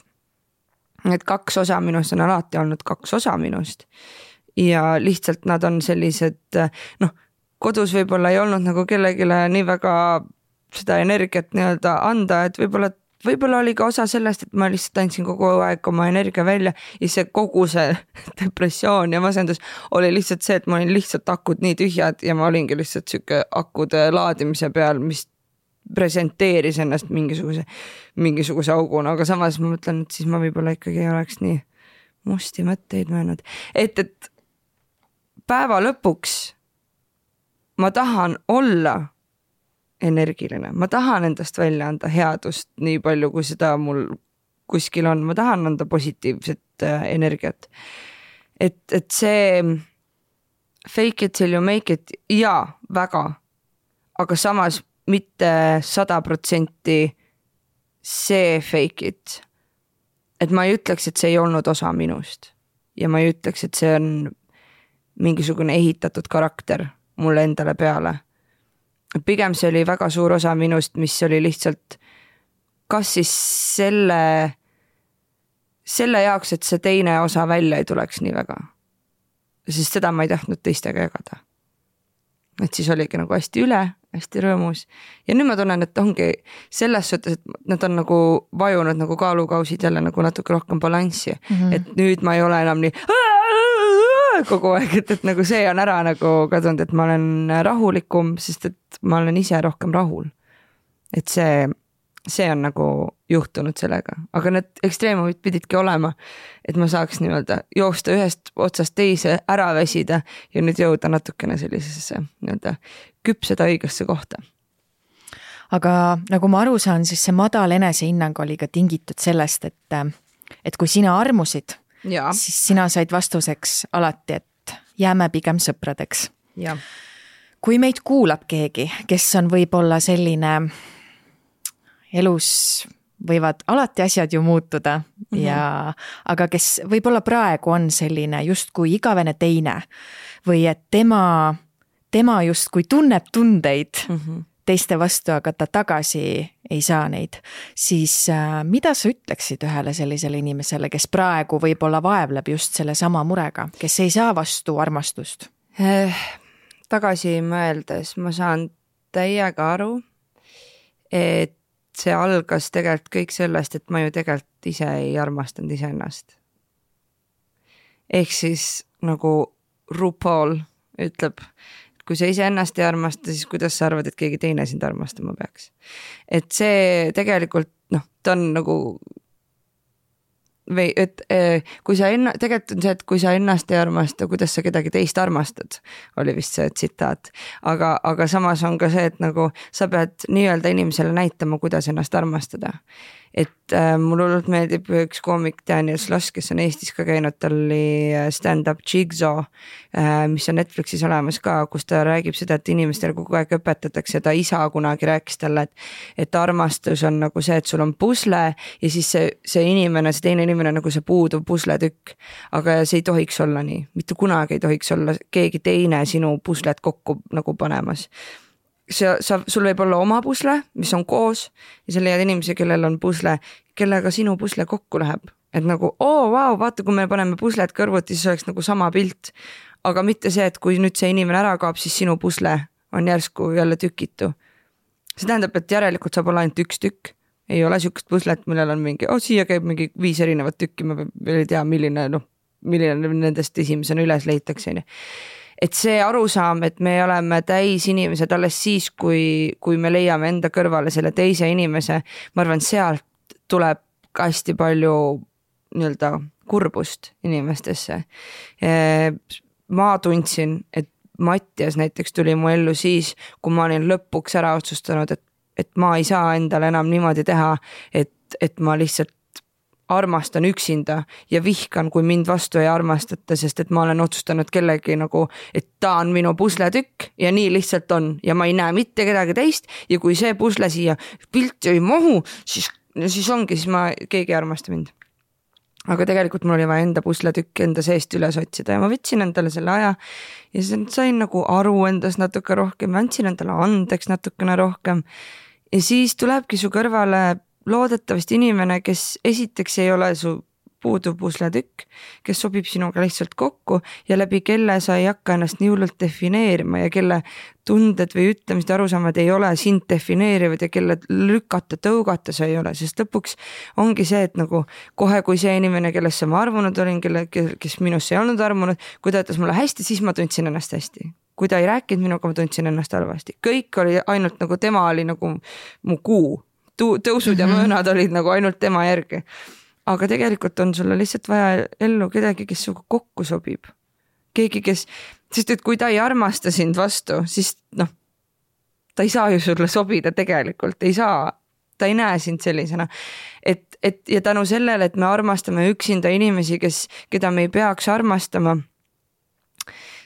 et kaks osa minust on alati olnud kaks osa minust. Ja lihtsalt nad on sellised, kodus võib-olla ei olnud nagu kellegile nii väga seda energiat nii-öelda anda, et võib-olla oli ka osa sellest, et ma lihtsalt andsin kogu aeg oma energia välja ja see kogu see depressioon ja masendus oli lihtsalt see, et ma olin lihtsalt akud nii tühjad ja ma olingi lihtsalt siuke akude laadimise peal, mis presenteeris ennast mingisuguse auguna, aga samas ma mõtlen, et siis ma võib-olla ikkagi ei oleks nii musti mõtteid mõelnud. Et päeva lõpuks ma tahan olla energiline. Ma tahan endast välja anda headust nii palju, kui seda mul kuskil on. Ma tahan anda positiivset energiat. Et see fake it till you make it, jaa, väga. Aga samas mitte 100% see fake it. Et ma ei ütleks, et see ei olnud osa minust. Ja ma ei ütleks, et see on mingisugune ehitatud karakter mulle endale peale. Pigem see oli väga suur osa minust, mis oli lihtsalt kas siis selle jaoks, et see teine osa välja ei tuleks nii väga. Sest seda ma ei tahtnud teistega jagada. Et siis oligi nagu hästi üle, hästi rõõmus. Ja nüüd ma tunnen, et ongi selles suhtes, et nad on nagu vajunud nagu kaalukausid jälle nagu natuke rohkem balanssi. Et nüüd ma ei ole enam nii kogu aeg, et nagu see on ära nagu kadunud, et ma olen rahulikum, sest et ma olen ise rohkem rahul. Et see on nagu juhtunud sellega, aga need ekstreemumid pididki olema, et ma saaks nii-öelda joosta ühest otsast teise, ära väsida ja nüüd jõuda natukene sellisesse nii-öelda küpseda õigesse kohta. Aga nagu ma aru saan, siis see madal enesehinnang oli ka tingitud sellest, et kui sina armusid, ja. Siis sina said vastuseks alati, et jääme pigem sõpradeks. Ja. Kui meid kuulab keegi, kes on võib-olla selline, elus võivad alati asjad ju muutuda, aga kes võib-olla praegu on selline justkui igavene teine või et tema justkui tunneb tundeid teiste vastu, aga ta tagasi ei saa neid, siis mida sa ütleksid ühele sellisele inimesele, kes praegu võib-olla vaevleb just selle sama murega, kes ei saa vastu armastust? Tagasi mõeldes ma saan täiega aru, et see algas tegelikult kõik sellest, et ma ju tegelikult ise ei armastanud iseennast. ehk siis nagu RuPaul ütleb, kui sa ise ennast ei armasta, siis kuidas sa arvad, et keegi teine sind armastama peaks. Et see tegelikult, ta on nagu või et kui sa tegelikult on see, et kui sa ennast ei armasta, kuidas sa kedagi teist armastad, oli vist see tsitaat. Aga samas on ka see, et nagu sa pead nii-öelda inimesele näitama, kuidas ennast armastada. Et mul hullult meeldib üks koomik Daniel Sloss, kes on Eestis ka käinud, tal oli stand-up Jigsaw, mis on Netflixis olemas ka, kus ta räägib seda, et inimestele kogu aeg õpetatakse, ta isa kunagi rääkis talle, et armastus on nagu see, et sul on pusle ja siis see inimene, see teine inimene nagu see puuduv pusletükk, aga see ei tohiks olla nii, mitte kunagi ei tohiks olla keegi teine sinu puslet kokku nagu panemas. Sul võib olla oma pusle, mis on koos ja sa leiad inimesi, kellel on pusle, kellega sinu pusle kokku läheb. Et nagu, vau, vaata, kui me paneme puslet kõrvuti, siis oleks nagu sama pilt. Aga mitte see, et kui nüüd see inimene ära kaob, siis sinu pusle on järsku jälle tükitu. See tähendab, et järelikult saab olla ainult üks tükk. Ei ole sükest puslet, millel on mingi, siia käib mingi 5 erinevat tükki, ma ei tea, milline nendest esimesena üles leitakse. Et see arusaam, et me oleme täis inimesed alles siis, kui me leiame enda kõrvale selle teise inimese, ma arvan, sealt tuleb hästi palju nii-öelda kurbust inimestesse. Ma tundsin, et Mattias näiteks tuli mu ellu siis, kui ma olin lõpuks ära otsustanud, et ma ei saa endale enam niimoodi teha, et ma lihtsalt armastan üksinda ja vihkan, kui mind vastu ei armastata, sest et ma olen otsustanud kellegi nagu, et ta on minu pusletükk ja nii lihtsalt on ja ma ei näe mitte kedagi teist ja kui see pusle siia pilti ei mahu, siis ongi, siis keegi ei armasta mind. Aga tegelikult mul oli vaja enda pusletükk enda seest üles otsida ja ma võtsin endale selle aja ja sain nagu aru endas natuke rohkem, andsin endale andeks natukene rohkem ja siis tulebki su kõrvale loodetavasti inimene, kes esiteks ei ole su puuduv pusletükk, kes sobib sinuga lihtsalt kokku ja läbi kelle sa ei hakka ennast nii hullult defineerima ja kelle tunded või ütlemised arusaamad ei ole sind defineerivad ja kelle lükata, tõugata sa ei ole, sest lõpuks ongi see, et nagu kohe, kui see inimene, kellesse ma armunud olin, kes minusse ei olnud armunud, kui ta ütles mulle hästi, siis ma tundsin ennast hästi. Kui ta ei rääkinud minuga, ma tundsin ennast halvasti. Kõik oli ainult nagu tema oli nagu mu kuu. Tõusud ja möönad olid nagu ainult tema järgi. Aga tegelikult on sulle lihtsalt vaja ellu kedagi, kes suga kokku sobib. Keegi, sest et kui ta ei armasta sind vastu, siis ta ei saa ju sulle sobida tegelikult, ei saa, ta ei näe sind sellisena. Ja tänu sellele, et me armastame üksinda inimesi, keda me ei peaks armastama,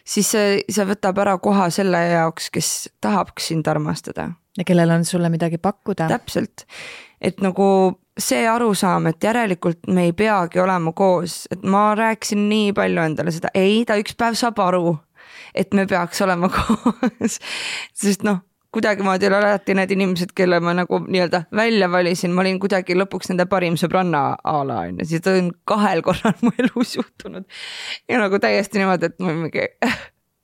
siis see võtab ära koha selle jaoks, kes tahabks sind armastada. Ja kellel on sulle midagi pakkuda. Täpselt. Et nagu see arusaam, et järelikult me ei peagi olema koos, et ma rääkisin nii palju endale seda, ta üks päev saab aru, et me peaks olema koos. Sest kuidagi ma teil alati need inimesed, kelle ma nagu nii-öelda välja valisin, ma olin kuidagi lõpuks nende parim sõbranna ala, siis ta on 2 korral mu elus juhtunud. Ja nagu täiesti niimoodi, et ma mingi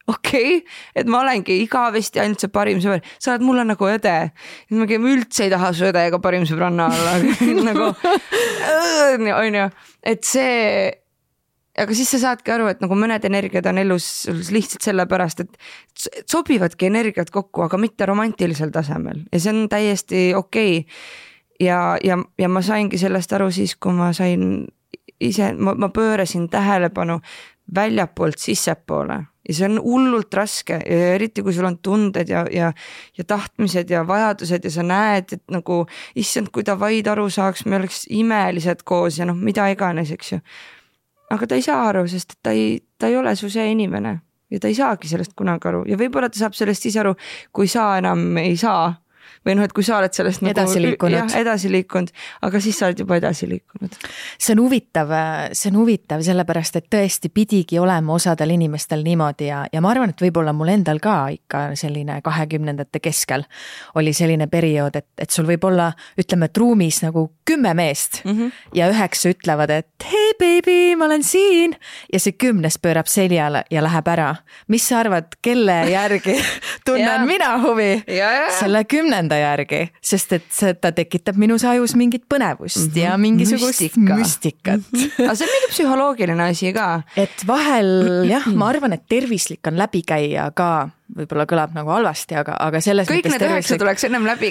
okei, et ma olengi igavesti ainult see parim sõber. Sa oled mulle nagu õde. Ma üldse ei taha su õde ega parim sõbranna alla. nagu, on ju. Et see, aga siis sa saadki aru, et nagu mõned energiad on elus lihtsalt sellepärast, et sobivadki energiat kokku, aga mitte romantilisel tasemel. Ja see on täiesti okei. Ja ma saingi sellest aru siis, kui ma sain ise, ma pöörasin tähelepanu väljapoolt sissepoole. Ja see on hullult raske, eriti kui sul on tunded ja tahtmised ja vajadused ja sa näed, et nagu issand, kui ta vaid aru saaks, me oleks imelised koos ja mida iganes, eks ju. Aga ta ei saa aru, sest ta ei ole su see inimene ja ta ei saagi sellest kunagi aru ja võib-olla ta saab sellest siis aru, kui sa enam ei saa või et kui sa oled sellest edasi liikunud, aga siis sa oled juba edasi liikunud. See on huvitav sellepärast, et tõesti pidigi olema osadel inimestel niimoodi ja ma arvan, et võib-olla mul endal ka ikka selline 20-ndate keskel oli selline periood, et sul võib olla, ütleme, et ruumis nagu 10 meest ja 9 ütlevad, et hei baby, ma olen siin. Ja see 10. pöörab seljale ja läheb ära. Mis sa arvad, kelle järgi tunnen mina huvi? Selle 10. järgi, sest et ta tekitab minus ajus mingit põnevust ja mingisugust müstikat. Aga see on mingi psühholoogiline asi ka. Et vahel jah, ma arvan, et tervislik on läbi käia ka. Võib-olla kõlab nagu halvasti, aga selles kõik need 9 tuleks ennem läbi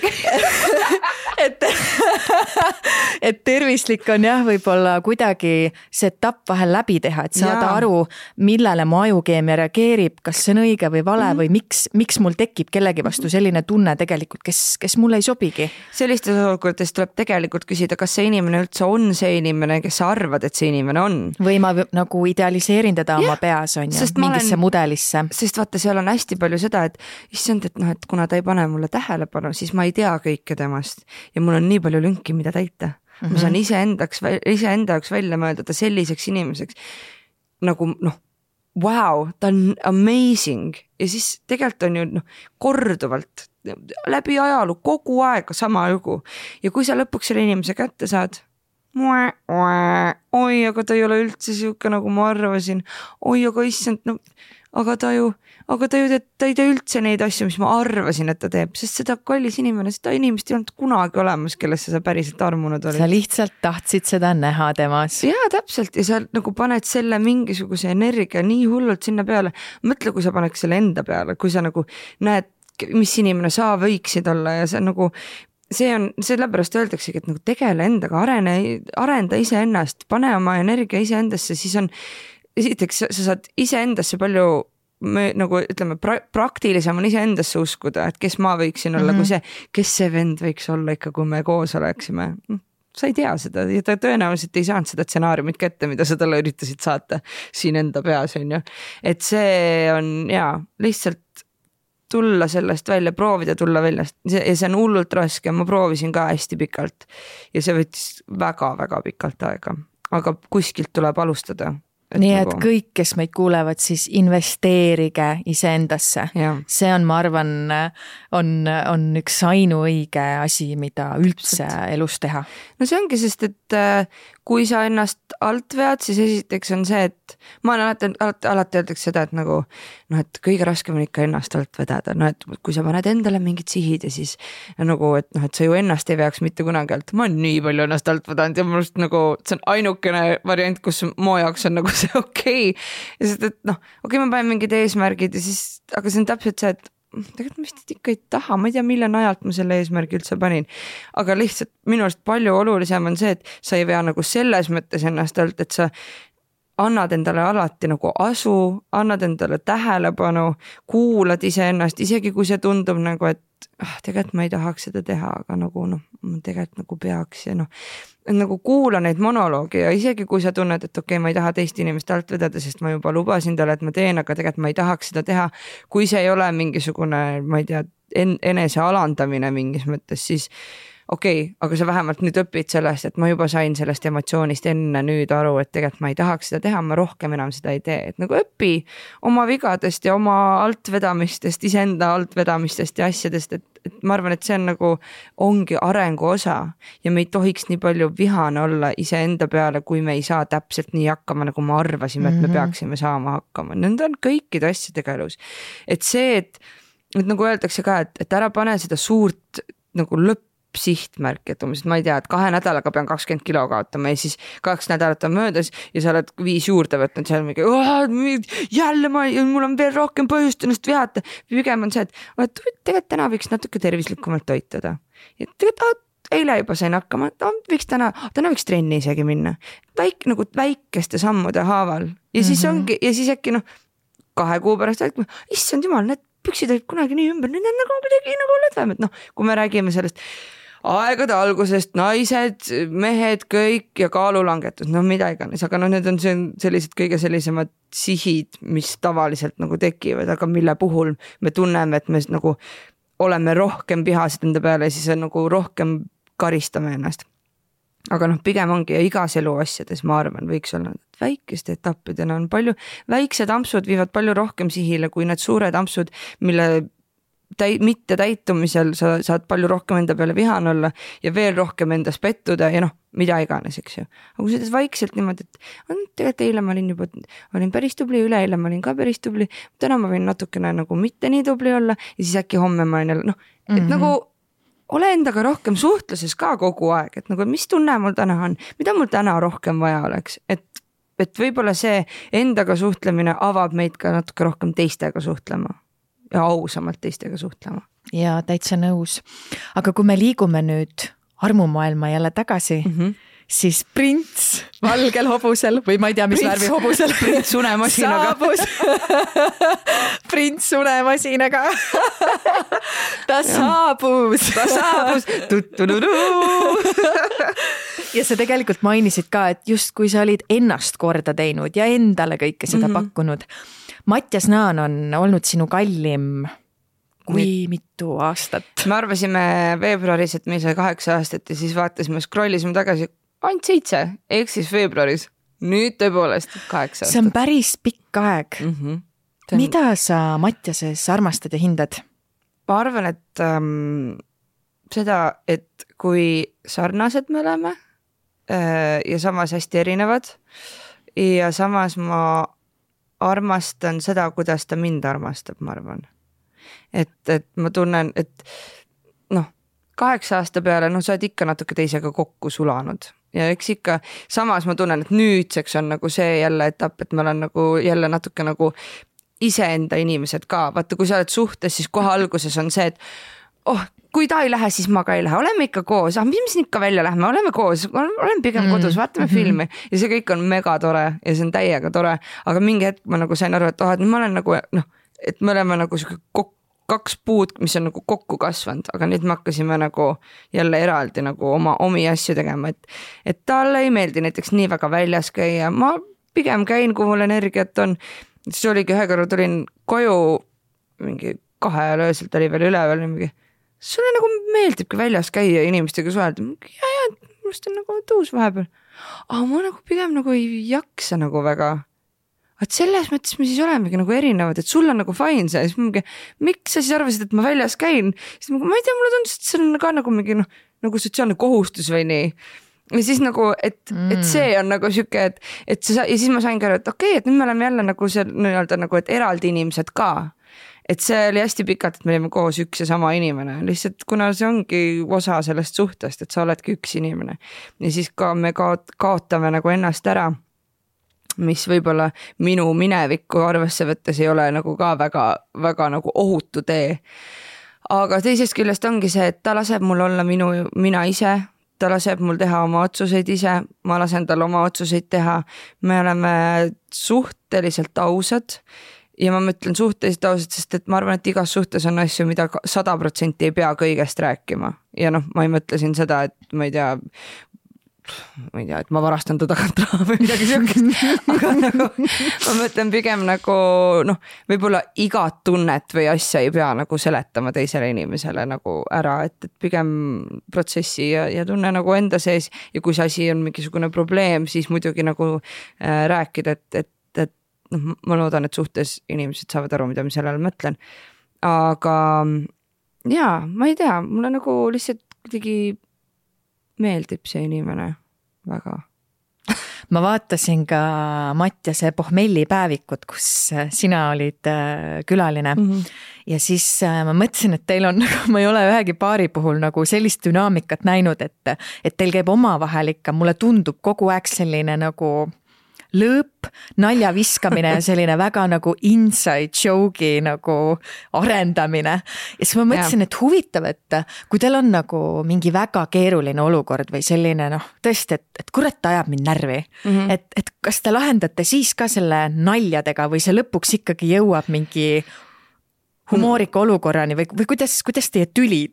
et tervislik on jah, võib-olla kuidagi see etapp vahel läbi teha, et saada aru, millele mu ajukeemia reageerib, kas see on õige või vale või miks mul tekib kellegi vastu selline tunne tegelikult, kes mulle ei sobigi. Sellistes olukordades tuleb tegelikult küsida, kas see inimene üldse on see inimene, kes sa arvad, et see inimene on. Või ma nagu idealiseerin teda oma peas on ju, mingisse mudelisse. Sest vaata, seal on hästi palju seda, et issand, et noh, et kuna ta ei pane mulle tähelepanu, siis ma ei tea kõike temast ja mul on nii palju lünki, mida täita. Ma saan iseenda jaoks välja mõelda selliseks inimeseks nagu wow, ta on amazing ja siis tegelikult on ju korduvalt läbi ajalu kogu aeg sama lugu ja kui sa lõpuks selle inimese kätte saad, oi, aga ta ei ole üldse siuke nagu ma arvasin, oi, aga issand, aga ta ei tee üldse neid asju, mis ma arvasin, et ta teeb, sest seda kallis inimene, seda inimest ei olnud kunagi olemas, kellesse sa päriselt armunud olid. Sa lihtsalt tahtsid seda näha temas. Jaa, täpselt ja sa nagu paned selle mingisuguse energia nii hullult sinna peale. Mõtle, kui sa paneks selle enda peale, kui sa nagu näed, mis inimene sa võiksid olla ja see nagu see on, sellepärast öeldaksegi, et nagu tegele endaga, arenda iseennast, pane oma energia iseendasse, siis on esiteks sa saad iseendasse palju nagu ütleme, praktilisem on iseendasse uskuda, et kes ma võiksin olla, kui see, kes see vend võiks olla ikka, kui me koos oleksime. Sa ei tea seda ja ta tõenäoliselt ei saanud seda stsenaariumit kätte, mida sa talle üritasid saata siin enda peas, on ju. Et see on lihtsalt tulla sellest välja, proovida tulla väljast ja see on hullult raske, ma proovisin ka hästi pikalt ja see võttis väga-väga pikalt aega, aga kuskilt tuleb alustada. Nii et kõik, kes meid kuulevad, siis investeerige iseendasse. See on, ma arvan, on üks ainuõige asi, mida üldse elus teha. No see ongi, sest et kui sa ennast alt vead, siis esiteks on see, et ma olen alati öeldakse seda, et nagu, et kõige raskem on ikka ennast alt vedada. Et kui sa paned endale mingid sihid ja siis nagu, et sa ju ennast ei veaks mitte kunagi alt. Ma olen nii palju ennast alt vedanud ja mul just nagu, see on ainukene variant, kus mu jaoks on nagu see okei. Ja sest, et okei, ma panen mingid eesmärgid ja siis, aga see on täpselt see, et tegelikult ma vist ikka ei taha, ma ei tea, mille najalt ma selle eesmärgi üldse panin, aga lihtsalt minu arust palju olulisem on see, et sa ei vea nagu selles mõttes ennast alt, et sa annad endale alati nagu asu, annad endale tähelepanu, kuulad iseennast, isegi kui see tundub nagu, et tegelikult ma ei tahaks seda teha, aga nagu ma tegelikult nagu peaks ja nagu kuula neid monoloogi ja isegi kui sa tunned, et okei, ma ei taha teist inimest alt vedada, sest ma juba lubasin talle, et ma teen, aga tegelikult ma ei tahaks seda teha. Kui see ei ole mingisugune, ma ei tea, enese alandamine mingis mõttes, siis okei, aga sa vähemalt nüüd õpid sellest, et ma juba sain sellest emotsioonist enne nüüd aru, et tegelikult ma ei tahaks seda teha, ma rohkem enam seda ei tee. Et nagu õpi oma vigadest ja oma altvedamistest, iseenda altvedamistest ja asjadest, et ma arvan, et see on nagu ongi arengu osa ja me ei tohiks nii palju vihane olla iseenda peale, kui me ei saa täpselt nii hakkama, nagu me arvasime, et me peaksime saama hakkama. Need on kõikide asjadega elus. Et see, et nagu öeldakse ka, et ära pane seda suurt nagu sihtmärk, et umbes, ma ei tea, et 2 nädalaga pean 20 kilo kaotama ja siis 2 nädalat on möödas ja sa oled 5 juurde võtnud seal mingi, jälle mul on veel rohkem põhjust ennast vihata. Pigem on see, et tegelikult täna võiks natuke tervislikumalt toituda. Ja tegelikult eile juba sain hakkama, võiks täna võiks trenni isegi minna. Nagu väikeste sammude haaval. Ja siis ongi, ja siis äkki 2 kuu pärast, issand jumal, need püksid olid kunagi nii ümber, need on nagu kuidagi nagu lõdvemad. Kui me räägime sellest aegade algusest, naised, mehed, kõik ja kaalulangetus, mida iganes, aga need on sellised kõige sellisemad sihid, mis tavaliselt nagu tekivad, aga mille puhul me tunneme, et me nagu oleme rohkem vihased enda peale ja siis nagu rohkem karistame ennast. Aga pigem ongi ja igas elu asjades, ma arvan, võiks olla väikeste etappidena on palju, väiksed ampsud viivad palju rohkem sihile kui need suured ampsud, mille mitte täitumisel sa saad palju rohkem enda peale vihane olla ja veel rohkem endas pettuda ja noh, mida iganes, eks ju. Aga kui seda vaikselt niimoodi, et tegelikult eile ma olin päris tubli, üleeile ma olin ka päris tubli, täna ma võin natukene nagu mitte nii tubli olla ja siis äkki homme ma olen jälle, noh, et nagu ole endaga rohkem suhtluses ka kogu aeg, et nagu mis tunne mul täna on, mida mul täna rohkem vaja oleks, et võib-olla see endaga suhtlemine avab meid ka natuke rohkem teistega suhtlema. Ja ausamalt teistega suhtlema. Ja täitsa nõus. Aga kui me liigume nüüd armumaailma jälle tagasi, siis prints valgel hobusel või ma ei tea, mis värvi hobusel. Prints unemasinaga. Prints unemasinaga. Ta saabus. Ja sa tegelikult mainisid ka, et just kui sa olid ennast korda teinud ja endale kõike seda pakkunud. Mattias Naan on olnud sinu kallim kui mitu aastat? Me arvasime veebruaris, et me sai 8 aastat ja siis vaatasime, scrollisime tagasi ainult 7, ehk siis veebruaris. Nüüd tõepoolest 8 aastat. See on päris pikk aeg. Mida sa Mattiases armastad ja hindad? Ma arvan, et seda, et kui sarnased me oleme ja samas hästi erinevad ja samas ma armastan seda, kuidas ta mind armastab, ma arvan. Et ma tunnen, et noh, 8 aasta peale, sa oled ikka natuke teisega kokku sulanud ja eks ikka samas ma tunnen, et nüüdseks on nagu see jälle etapp, et ma olen nagu jälle natuke nagu iseenda inimesed ka. Vaata, kui sa oled suhtes, siis kohe alguses on see, et kui ta ei lähe, siis ma ka ei lähe, oleme ikka koos, mis me siin ikka välja lähme, oleme koos, oleme pigem kodus, vaatame filmi ja see kõik on mega tore ja see on täiega tore, aga mingi hetk ma nagu sain aru, et et ma olen nagu et me oleme nagu 2 puud, mis on nagu kokku kasvanud, aga nüüd me hakkasime nagu jälle eraldi nagu omi asju tegema, et talle ei meeldi näiteks nii väga väljas käia, ma pigem käin, kui mul energiat on, siis oligi ühe korra tulin koju mingi 2 ajal ööselt oli veel üleval mingi sulle nagu meeldibki väljas käia inimestega suhelda. Ja, must on nagu tõus vahepeal. Aga ma nagu pigem nagu ei jaksa nagu väga. Et selles mõttes me siis olemegi nagu erinevad, et sul on nagu fine see. Miks sa siis arvasid, et ma väljas käin? Siis ma ei tea, mulle tundus, et see on ka nagu mingi nagu sotsiaalne kohustus või nii. Ja siis nagu, et see on nagu siuke, et ja siis ma sain ka, et okei, et nüüd me oleme jälle nagu see nii-öelda nagu, et eraldi inimesed ka. Et see oli hästi pikalt, et me olime koos üks ja sama inimene. Lihtsalt kuna see ongi osa sellest suhtest, et sa oledki üks inimene. Ja siis ka me kaotame nagu ennast ära, mis võib-olla minu minevikku arvesse võttes ei ole nagu ka väga, väga nagu ohutu tee. Aga teisest küljest ongi see, et ta laseb mul olla mina ise, ta laseb mul teha oma otsuseid ise, ma lasen tal oma otsuseid teha. Me oleme suhteliselt ausad. Ja ma mõtlen suhteliselt ausalt, sest et ma arvan, et igas suhtes on asju, mida 100% ei pea kõigest rääkima. Ja ma ei mõtle siin seda, et ma ei tea, et ma varastan ta tagant raha või midagi siukest. Aga nagu, ma mõtlen pigem nagu, võib-olla igat tunnet või asja ei pea nagu seletama teisele inimesele nagu ära, et pigem protsessi ja tunne nagu enda sees. Ja kui see asi on mingisugune probleem, siis muidugi nagu rääkida, et ma loodan, et suhtes inimesed saavad aru, mida ma sellele mõtlen. Aga jaa, ma ei tea, mulle nagu lihtsalt kuidagi meeldib see inimene väga. Ma vaatasin ka Mattiase pohmelli päevikut, kus sina olid külaline. Ja siis ma mõtlesin, et teil on, ma ei ole ühegi paari puhul nagu sellist dünaamikat näinud, et teil käib omavahel ikka, mulle tundub kogu aeg selline nagu lõõp, nalja viskamine ja selline väga nagu inside joke'i nagu arendamine. Ja siis ma mõtlesin, et huvitav, et kui teil on nagu mingi väga keeruline olukord või selline tõesti, et kurat ajab mind närvi, et kas te lahendate siis ka selle naljadega või see lõpuks ikkagi jõuab mingi humoorika olukorrani või kuidas teie tülid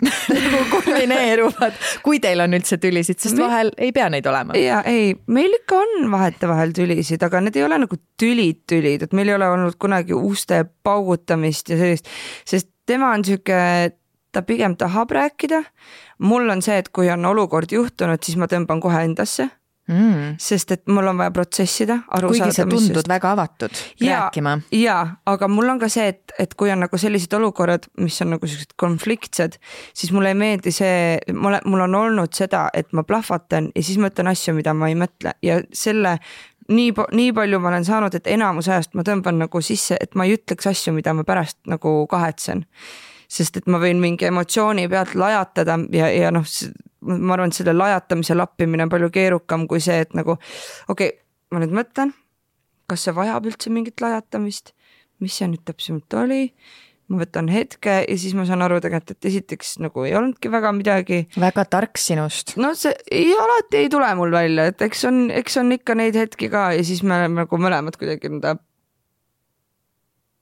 kulmineeruvad, kui teil on üldse tülisid, sest vahel ei pea neid olema. Ja ei, meil ikka on vahetevahel tülisid, aga need ei ole nagu tülid, et meil ei ole olnud kunagi uste paugutamist ja sellist, sest tema on siuke, ta pigem tahab rääkida. Mul on see, et kui on olukord juhtunud, siis ma tõmban kohe endasse Sest et mul on vaja protsessida, aru kuigi saada. Kuigi sa tundud väga avatud rääkima. Jaa, aga mul on ka see, et kui on nagu sellised olukorrad, mis on nagu sellised konfliktsed, siis mulle ei meeldi see, mul on olnud seda, et ma plahvatan ja siis ma ütlen asju, mida ma ei mõtle ja selle nii palju ma olen saanud, et enamus ajast ma tõmban nagu sisse, et ma ei ütleks asju, mida ma pärast nagu kahetsen. Sest et ma võin mingi emotsiooni pealt lajatada ja noh, ma arvan, et selle lajatamise lappimine on palju keerukam kui see, et nagu okei, ma nüüd mõtlen, kas see vajab üldse mingit lajatamist, mis see nüüd täpsemalt oli, ma võtan hetke ja siis ma saan aru tegelikult, et esiteks nagu ei olnudki väga midagi. Väga tark sinust. No see alati ei tule mul välja, et eks on ikka neid hetki ka ja siis me oleme nagu mõlemad kuidagi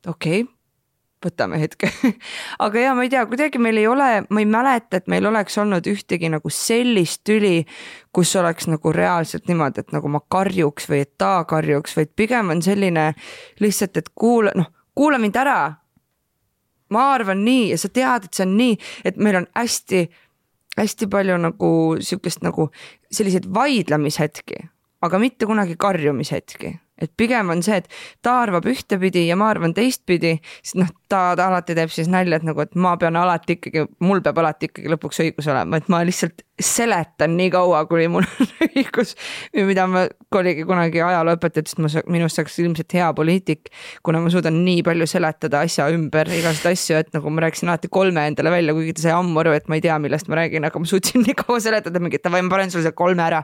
okei, võtame hetke. Aga ja ma ei tea, kuidagi meil ei ole, ma ei mäleta, et meil oleks olnud ühtegi nagu sellist tüli, kus oleks nagu reaalselt niimoodi, et nagu ma karjuks või et ta karjuks, vaid pigem on selline lihtsalt, et kuula mind ära. Ma arvan nii ja sa tead, et see on nii, et meil on hästi palju nagu sihukest nagu selliseid vaidlemishetki, aga mitte kunagi karjumishetki. Et pigem on see, et ta arvab ühtepidi ja ma arvan teistpidi, siis ta alati teeb siis nalja, et nagu, et mul peab alati ikkagi lõpuks õigus olema, et ma lihtsalt seletan nii kaua, kuni mul on õigus, mida ma oligi kunagi ajalooõpetajat, sest minust saaks ilmselt hea poliitik, kuna ma suudan nii palju seletada asja ümber igast asju, et nagu ma rääkisin alati 3 endale välja, kuigi ta sai ammu aru, et ma ei tea, millest ma räägin, aga ma suutsin nii kaua seletada mingit, ma panen sulle see 3 ära.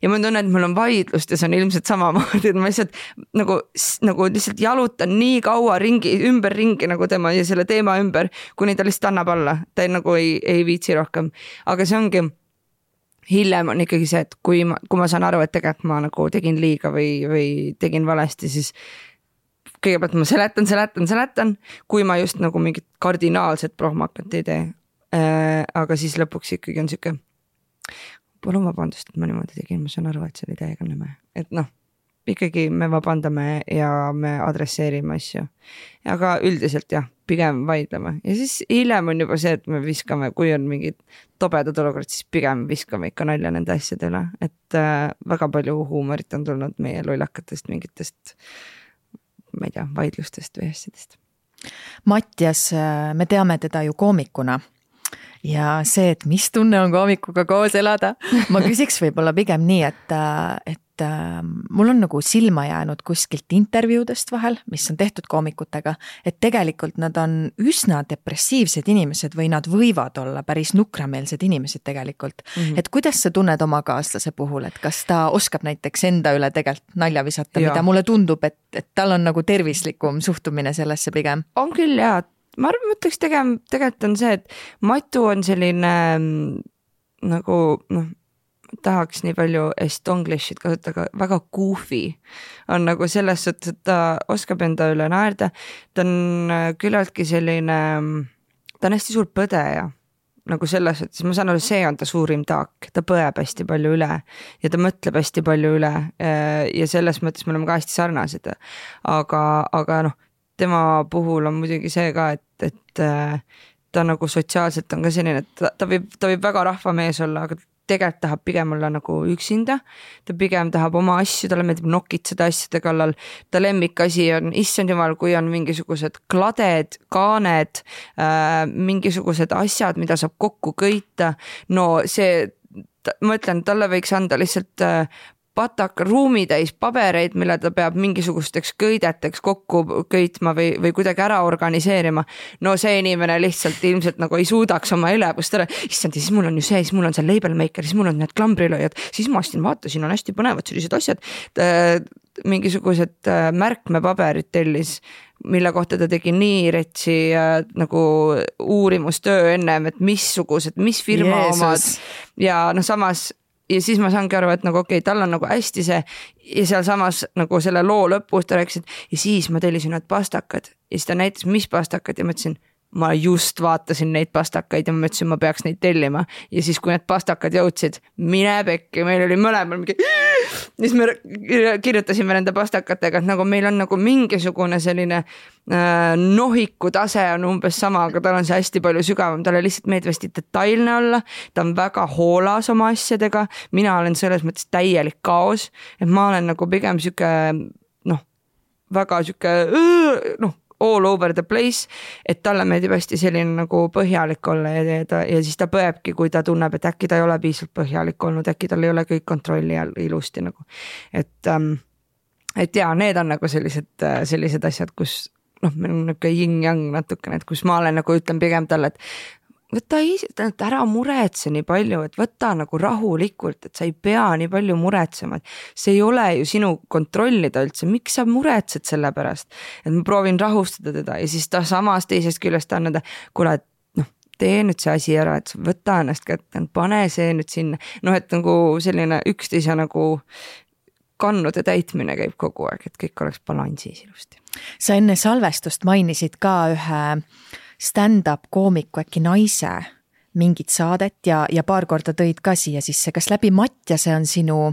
Ja ma tunnen, et mul on vaidlust ja see on ilmselt samamoodi, et ma lihtsalt nagu lihtsalt jalutan nii kaua ümber ringi nagu tema ja selle teema ümber, kuni ta lihtsalt annab alla. Ta nagu ei viitsi rohkem. Aga see ongi, hiljem on ikkagi see, et kui ma saan aru, et tegelikult ma nagu tegin liiga või tegin valesti, siis kõigepealt ma seletan, kui ma just nagu mingit kardinaalset prohmakat ei tee. Aga siis lõpuks ikkagi on siuke palun vabandust, et ma niimoodi tegin, ma saan aru, et see oli täiega nõme. Et ikkagi me vabandame ja me adresseerime asju. Aga üldiselt jah, pigem vaidleme. Ja siis hiljem on juba see, et me viskame, kui on mingid tobedad olukorrad, siis pigem viskame ikka nalja nende asjade üle. Et väga palju huumorit on tulnud meie lollakatest mingitest, ma ei tea, vaidlustest või asjadest. Mattias, me teame teda ju koomikuna. Ja see, et mis tunne on koomikuga koos elada, ma küsiks võib-olla pigem nii, et mul on nagu silma jäänud kuskilt intervjuudest vahel, mis on tehtud koomikutega, et tegelikult nad on üsna depressiivsed inimesed või nad võivad olla päris nukrameelsed inimesed tegelikult. Et kuidas sa tunned oma kaaslase puhul, et kas ta oskab näiteks enda üle tegelikult nalja visata, mida mulle tundub, et tal on nagu tervislikum suhtumine sellesse pigem? On küll jah. Ma mõtleks tegelikult on see, et Matu on selline nagu, tahaks nii palju estonglishit kasutada, väga goofy on nagu selles suhtes, et ta oskab enda üle naerda. Ta on küllaltki selline, ta on hästi suur põdeja. Nagu selles, et ma saan aru, see on ta suurim taak, ta põeb hästi palju üle ja ta mõtleb hästi palju üle ja selles mõttes me oleme ka hästi sarnased. Aga tema puhul on muidugi see ka, et ta nagu sotsiaalselt on ka selline, et ta võib väga rahvamees olla, aga tegelikult tahab pigem olla nagu üksinda. Ta pigem tahab oma asju, talle meeldib nokitseda asjade kallal. Ta lemmikasi on, issand jumal, kui on mingisugused kladed, kaaned, mingisugused asjad, mida saab kokku köita. No see, ma ütlen, talle võiks anda lihtsalt pataka ruumitäis pabereid, mille ta peab mingisugusteks köideteks kokku köitma või kuidagi ära organiseerima. No see inimene lihtsalt ilmselt nagu ei suudaks oma elevust ära. Issand, siis mul on ju see, siis mul on see label maker, siis mul on need klambrilööjad, siis ma ostsin, vaata, siin on hästi põnevad sellised asjad. Mingisugused märkmepaberid tellis, mille kohta ta tegi nii retsi nagu uurimustöö ennem, et mis firma omad ja samas ja siis ma saangi aru, et nagu okei, tal on nagu hästi see ja seal samas nagu selle loo lõpus ta rääkis, et ja siis ma tellisin need pastakad ja siis ta näitas, mis pastakad ja ma ütlesin, ma just vaatasin neid pastakaid ja ma mõtlesin, ma peaks neid tellima. Ja siis, kui need pastakad jõudsid, mine pekki, meil oli mõlemal mingi... Siis me kirjutasime nende pastakatega, et nagu meil on nagu mingisugune selline nohiku tase on umbes sama, aga tal on see hästi palju sügavam. Talle lihtsalt meeldivasti detailne olla. Ta on väga hoolas oma asjadega. Mina olen selles mõttes täielik kaos. Et ma olen nagu pigem süke, väga süke, all over the place, et talle meeldib hästi selline nagu põhjalik olla ja siis ta põebki, kui ta tunneb, et äkki ta ei ole piisavalt põhjalik olnud, äkki tal ei ole kõik kontrolli all ilusti nagu. Et ja, need on nagu sellised asjad, kus meil on nagu yin-yang natukene, et kus ma olen nagu ütlen pigem talle, et võta ära muretse nii palju, et võta nagu rahulikult, et sa ei pea nii palju muretsema, et see ei ole ju sinu kontrollida üldse, miks sa muretsed selle pärast, et ma proovin rahustada teda ja siis ta samas teisest küljest annada, kuule, et tee nüüd see asi ära, et võta ennast kätte, pane see nüüd sinna, et nagu selline üksteise nagu kannude täitmine käib kogu aeg, et kõik oleks balansis ilusti. Sa enne salvestust mainisid ka ühe stand-up koomiku äkki naise mingit saadet ja paar korda tõid ka siia sisse. Kas läbi Mattiase on sinu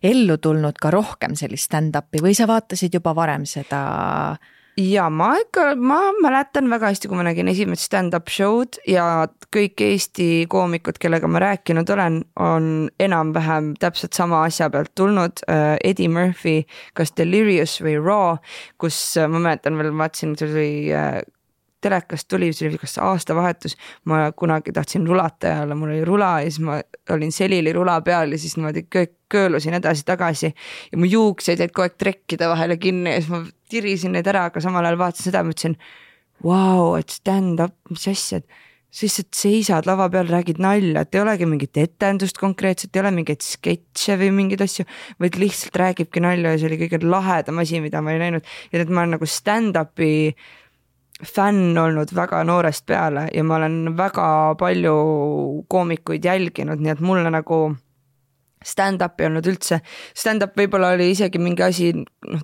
ellu tulnud ka rohkem sellist stand-upi või sa vaatasid juba varem seda? Ja ma mäletan väga hästi, kui ma nägin esimest stand-up show'd ja kõik Eesti koomikud, kellega ma rääkinud olen, on enam-vähem täpselt sama asja pealt tulnud. Eddie Murphy, kas Delirious või Raw, kus ma mäletan veel, vaatasin, see oli telekast tuli, see oli kas aastavahetus, ma kunagi tahtsin rulata ja mul oli rula ja siis ma olin selili rula peal ja siis niimoodi köölusin edasi-tagasi ja mu juuksed jäid kogu aeg trekkide vahele kinni ja siis ma tirisin neid ära, aga samal ajal vaatasin seda ja mõtlesin, wow, et stand up, mis asjad, siis et seisad lava peal, räägid nalja, et ei olegi mingit etendust konkreetselt, ei ole mingeid sketše või mingeid asju, vaid lihtsalt räägibki nalja ja see oli kõige lahedam asi, mida ma ei näinud ja et ma olen nagu stand-upi fänn olnud väga noorest peale ja ma olen väga palju koomikuid jälginud, nii et mulle nagu stand-up ei olnud üldse. Stand-up võib-olla oli isegi mingi asi,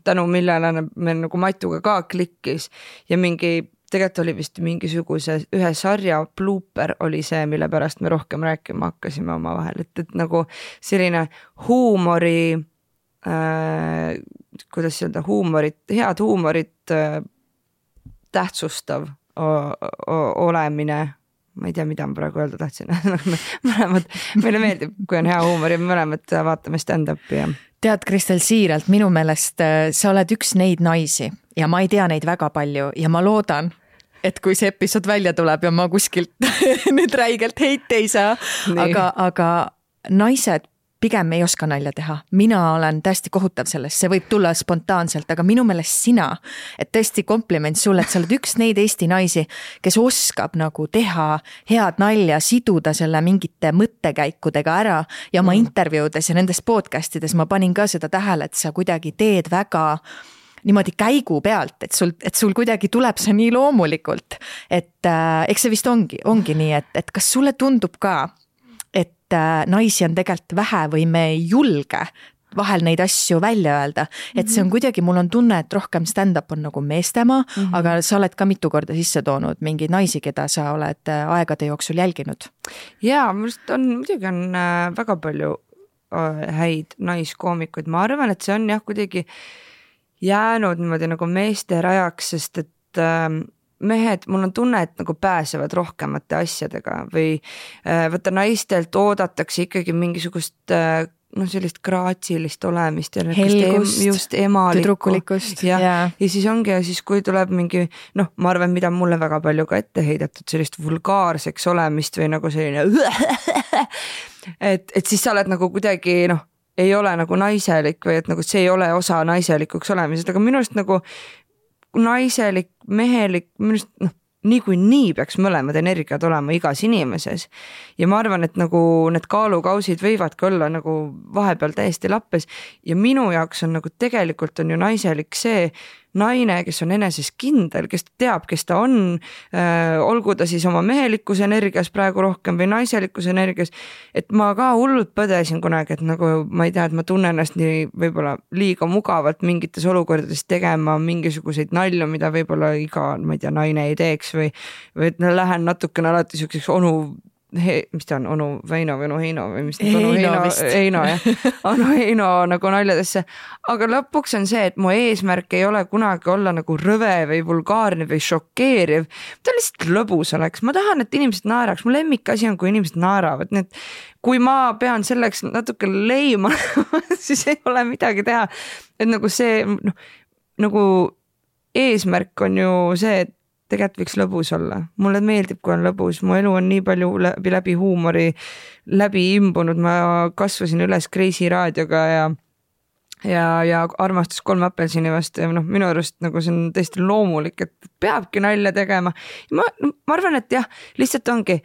tänu millele meil nagu Matuga ka klikkis ja tegelikult oli vist mingisuguse ühe sarja blooper oli see, mille pärast me rohkem rääkima hakkasime oma vahel, et nagu selline huumori, kuidas öelda, head huumorit tähtsustav olemine, ma ei tea, mida ma praegu öelda tahtsin, meile meeldib, kui on hea huumor ja mõlemad vaatame stand-upi. Tead, Kristel, siiralt, minu meelest sa oled üks neid naisi ja ma ei tea neid väga palju ja ma loodan, et kui see episood välja tuleb ja ma kuskilt nüüd räigelt heite ei saa, aga naised pigem ei oska nalja teha. Mina olen täiesti kohutav sellest, see võib tulla spontaanselt, aga minu meelest sina, et tõesti kompliment sulle, et sa oled üks neid Eesti naisi, kes oskab nagu teha head nalja, siduda selle mingite mõttekäikudega ära ja oma intervjuudes ja nendes podcastides ma panin ka seda tähele, et sa kuidagi teed väga niimoodi käigu pealt, et sul kuidagi tuleb see nii loomulikult, et eks see vist ongi nii, et kas sulle tundub ka, et naisi on tegelikult vähe või me ei julge vahel neid asju välja öelda, et see on kuidagi, mul on tunne, et rohkem stand-up on nagu meestemaa, aga sa oled ka mitu korda sisse toonud mingeid naisi, keda sa oled aegade jooksul jälginud. Jaa, muidugi on väga palju häid naiskoomikuid, ma arvan, et see on jah kuidagi jäänud niimoodi nagu meeste rajaks, sest et mehed, mul on tunne, et nagu pääsevad rohkemate asjadega või võtta naistelt oodatakse ikkagi mingisugust sellist graatsilist olemist ja helgust, just emalikku, tüdrukulikkust ja siis ongi ja siis kui tuleb mingi, ma arvan, mida mulle väga palju ka ette heidetud, sellist vulgaarseks olemist või nagu selline et siis sa oled nagu kuidagi ei ole nagu naiselik või et nagu see ei ole osa naiselikuks olemisest, aga minu arust nagu naiselik, mehelik, minu arust nii peaks mõlemad energiad olema igas inimeses ja ma arvan, et nagu need kaalukausid võivadki olla nagu vahepeal täiesti lappes ja minu jaoks on nagu tegelikult on ju naiselik see, naine, kes on eneses kindel, kes teab, kes ta on, olgu ta siis oma mehelikkuse energias praegu rohkem või naiselikkuse energias, et ma ka hullult põdesin kunagi, et nagu ma ei tea, et ma tunnen ennast nii võib-olla liiga mugavalt mingites olukordades tegema mingisuguseid nalju, mida võib-olla iga, ma ei tea, naine ei teeks või et lähen natukene alati siukseks mis ta on, onu Veino või onu Heino või mis Heino jah, onu Heino nagu naljadesse, aga lõpuks on see, et mu eesmärk ei ole kunagi olla nagu rõve või vulgaarne või šokeeriv, ta lihtsalt lõbus oleks, ma tahan, et inimesed naeraks, mu lemmikasi on, kui inimesed naeravad, nii et kui ma pean selleks natuke leima siis ei ole midagi teha, et nagu see nagu eesmärk on ju see, et tegelikult võiks lõbus olla. Mulle meeldib, kui on lõbus. Mu elu on nii palju läbi huumori läbi imbunud. Ma kasvasin üles Kreisi raadioga ja armastus 3 apelsini vastu ja minu arust nagu see on tõesti loomulik, et peabki nalja tegema. Ma arvan, et jah, lihtsalt ongi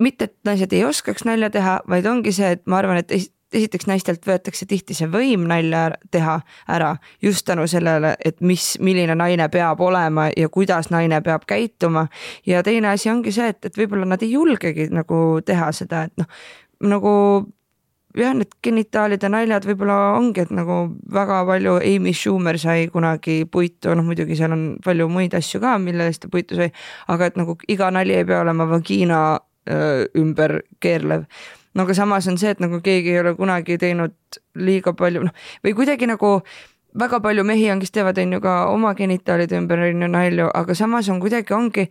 mitte, et naised ei oskaks nalja teha, vaid ongi see, et ma arvan, et esiteks naistelt võetakse tihti see võim nalja teha ära just tänu sellele, et milline naine peab olema ja kuidas naine peab käituma. Ja teine asi ongi see, et võib-olla nad ei julgegi nagu teha seda, et nagu jah, need genitaalide naljad võib-olla ongi, et nagu väga palju Amy Schumer sai kunagi puitu, muidugi seal on palju muid asju ka, mille eest ta puitu sai, aga et nagu iga nali ei pea olema vagiina ümber keerlev. Aga samas on see, et nagu keegi ei ole kunagi teinud liiga palju, või kuidagi nagu väga palju mehi on, kes teevad on ju ka oma genitaalide ümber nalju, aga samas on kuidagi ongi,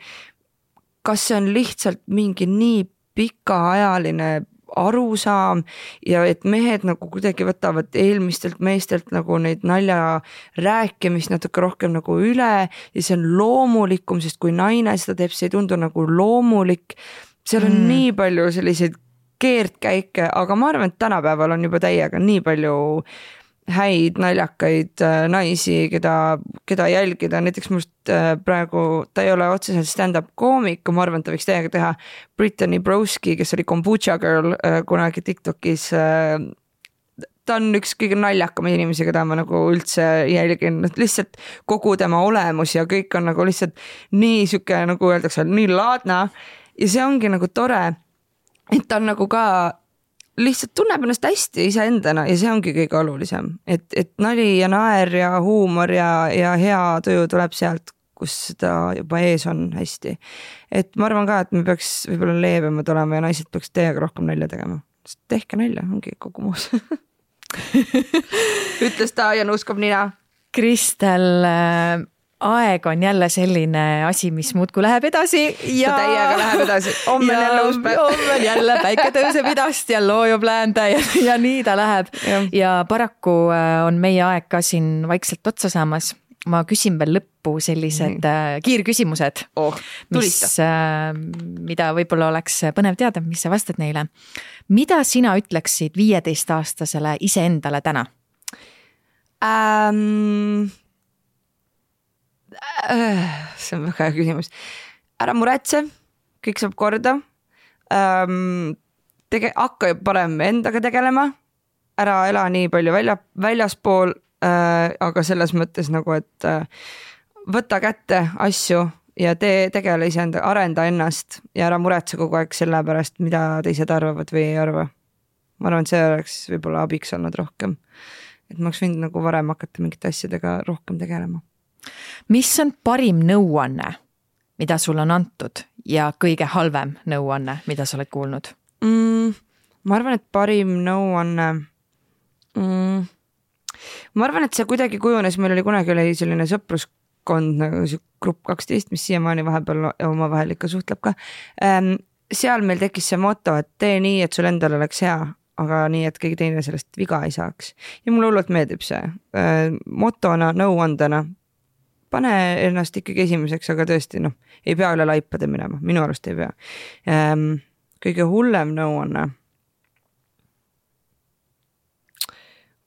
kas see on lihtsalt mingi nii pikaajaline arusaam ja et mehed nagu kuidagi võtavad eelmistelt meestelt nagu neid nalja rääkimist natuke rohkem nagu üle ja see on loomulikum, sest kui naine seda teeb, see ei tundu nagu loomulik. Seal on nii palju selliseid keerdkäike, aga ma arvan, et tänapäeval on juba täiega nii palju häid naljakaid naisi, keda jälgida. Näiteks must praegu, ta ei ole otseselt stand-up koomik, ma arvan, et ta võiks täiega teha Brittany Broski, kes oli Kombucha Girl kunagi TikTokis. Ta on üks kõige naljakama inimesi, keda ma nagu üldse jälgin, lihtsalt kogu tema olemus ja kõik on nagu lihtsalt nii süke, nagu öeldakse, nii laadna ja see ongi nagu tore, et ta on nagu ka lihtsalt tunneb ennast hästi iseendana ja see ongi kõige olulisem, et nali ja naer ja huumor ja hea tuju tuleb sealt, kus seda juba ees on hästi. Et ma arvan ka, et me peaks võib-olla leebemad olema ja naised peaks teiega rohkem nalja tegema. Tehke nalja, ongi kogu muus. Ütles ta ja nuuskab nina. Kristel, aeg on jälle selline asi, mis muudku läheb edasi ja täiega läheb edasi. Homme on jälle uus päev. Homme on jälle päike tõuseb idast ja loojub läände ja nii ta läheb. Ja paraku on meie aeg ka siin vaikselt otsa saamas. Ma küsin veel lõppu sellised kiirküsimused, mida võib-olla oleks põnev teada, mis sa vastad neile. Mida sina ütleksid 15-aastasele iseendale täna? See on väga hea küsimus. Ära muretse, kõik saab korda. Hakka parem endaga tegelema. Ära ela nii palju väljaspool, aga selles mõttes nagu, et võta kätte asju ja tegele iseenda, arenda ennast ja ära muretse kogu aeg selle pärast, mida teised arvavad või ei arva. Ma arvan, et see oleks võib-olla abiks olnud rohkem. Et ma oleks võinud nagu varem hakata mingite asjadega rohkem tegelema. Mis on parim nõuanne, mida sul on antud ja kõige halvem nõuanne, mida sa oled kuulnud? Ma arvan, et parim nõuanne... Ma arvan, et see kuidagi kujunes, meil oli kunagi selline sõpruskond nagu grupp 12, mis siiamaani vahepeal omavahel ikka suhtleb ka. Seal meil tekkis see moto, et tee nii, et sul endal oleks hea, aga nii, et keegi teine sellest viga ei saaks. Ja mulle hullult meeldib see motona, nõuandena. Pane ennast ikkagi esimeseks, aga tõesti, ei pea üle laipade minema. Minu arust ei pea. Kõige hullem nõuanne.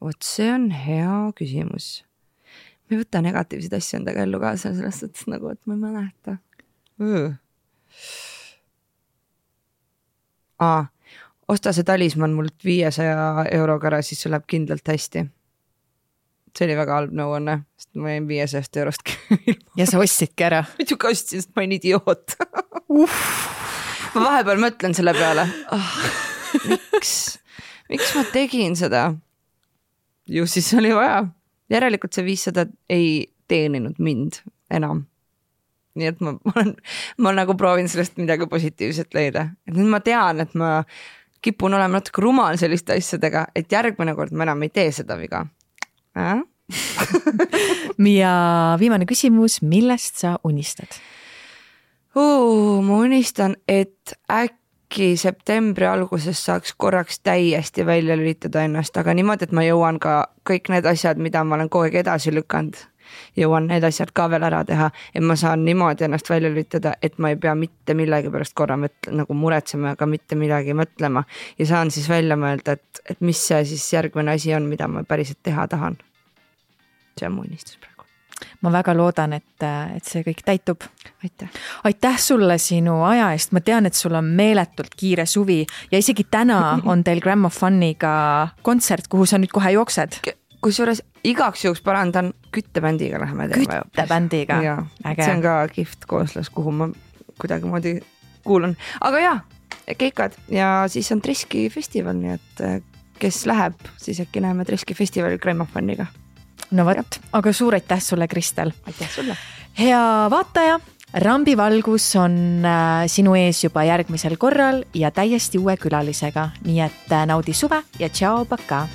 Vot see on hea küsimus. Ma ei võta negatiivseid asju endaga ellu kaasa, sellest mõttes nagu, et ma ei mäleta. Osta see talisman mult 500 euroga ära, siis sul läheb kindlalt hästi. see oli väga halb nõuanne, sest ma jäin 500 eurost ilma. Ja sa ostsidki ära? Muidugi ostsin, sest ma olen idioot. Ma vahepeal mõtlen selle peale. Miks ma tegin seda? Ju siis oli vaja. Järelikult see 500 ei teeninud mind enam. Nii et ma nagu proovin sellest midagi positiivset leida. Et nüüd ma tean, et ma kipun olema natuke rumal selliste asjadega, et järgmine kord ma enam ei tee seda viga. Ja viimane küsimus, millest sa unistad? Ma unistan, et äkki septembri alguses saaks korraks täiesti välja lülitada ennast, aga niimoodi, et ma jõuan ka kõik need asjad, mida ma olen kogu aeg edasi lükanud. Jõuan need asjad ka veel ära teha, et ma saan niimoodi ennast välja lülitada, et ma ei pea mitte millegi pärast korra nagu muretsema, aga mitte midagi mõtlema ja saan siis välja mõelda, et mis see siis järgmine asi on, mida ma päriselt teha tahan. See on mu unistus praegu. Ma väga loodan, et see kõik täitub. Aitäh sulle sinu aja eest. Ma tean, et sul on meeletult kiire suvi ja isegi täna on teil Grammofoniga kontsert, kuhu sa nüüd kohe jooksed. Kusjuures igaks juhuks parandan, küttebändiga läheme teema. Küttebändiga? See on ka kihvt kooslas, kuhu ma kuidagi kuulan. Aga jaa, keikad ja siis on Treski festival, nii et kes läheb, siis äkki näeme Treski festivalil Grammofoniga. No võt, aga suur aitäh sulle, Kristel. Aitäh sulle. Hea vaataja, Rambivalgus on sinu ees juba järgmisel korral ja täiesti uue külalisega, nii et naudi suve ja tšao, paka!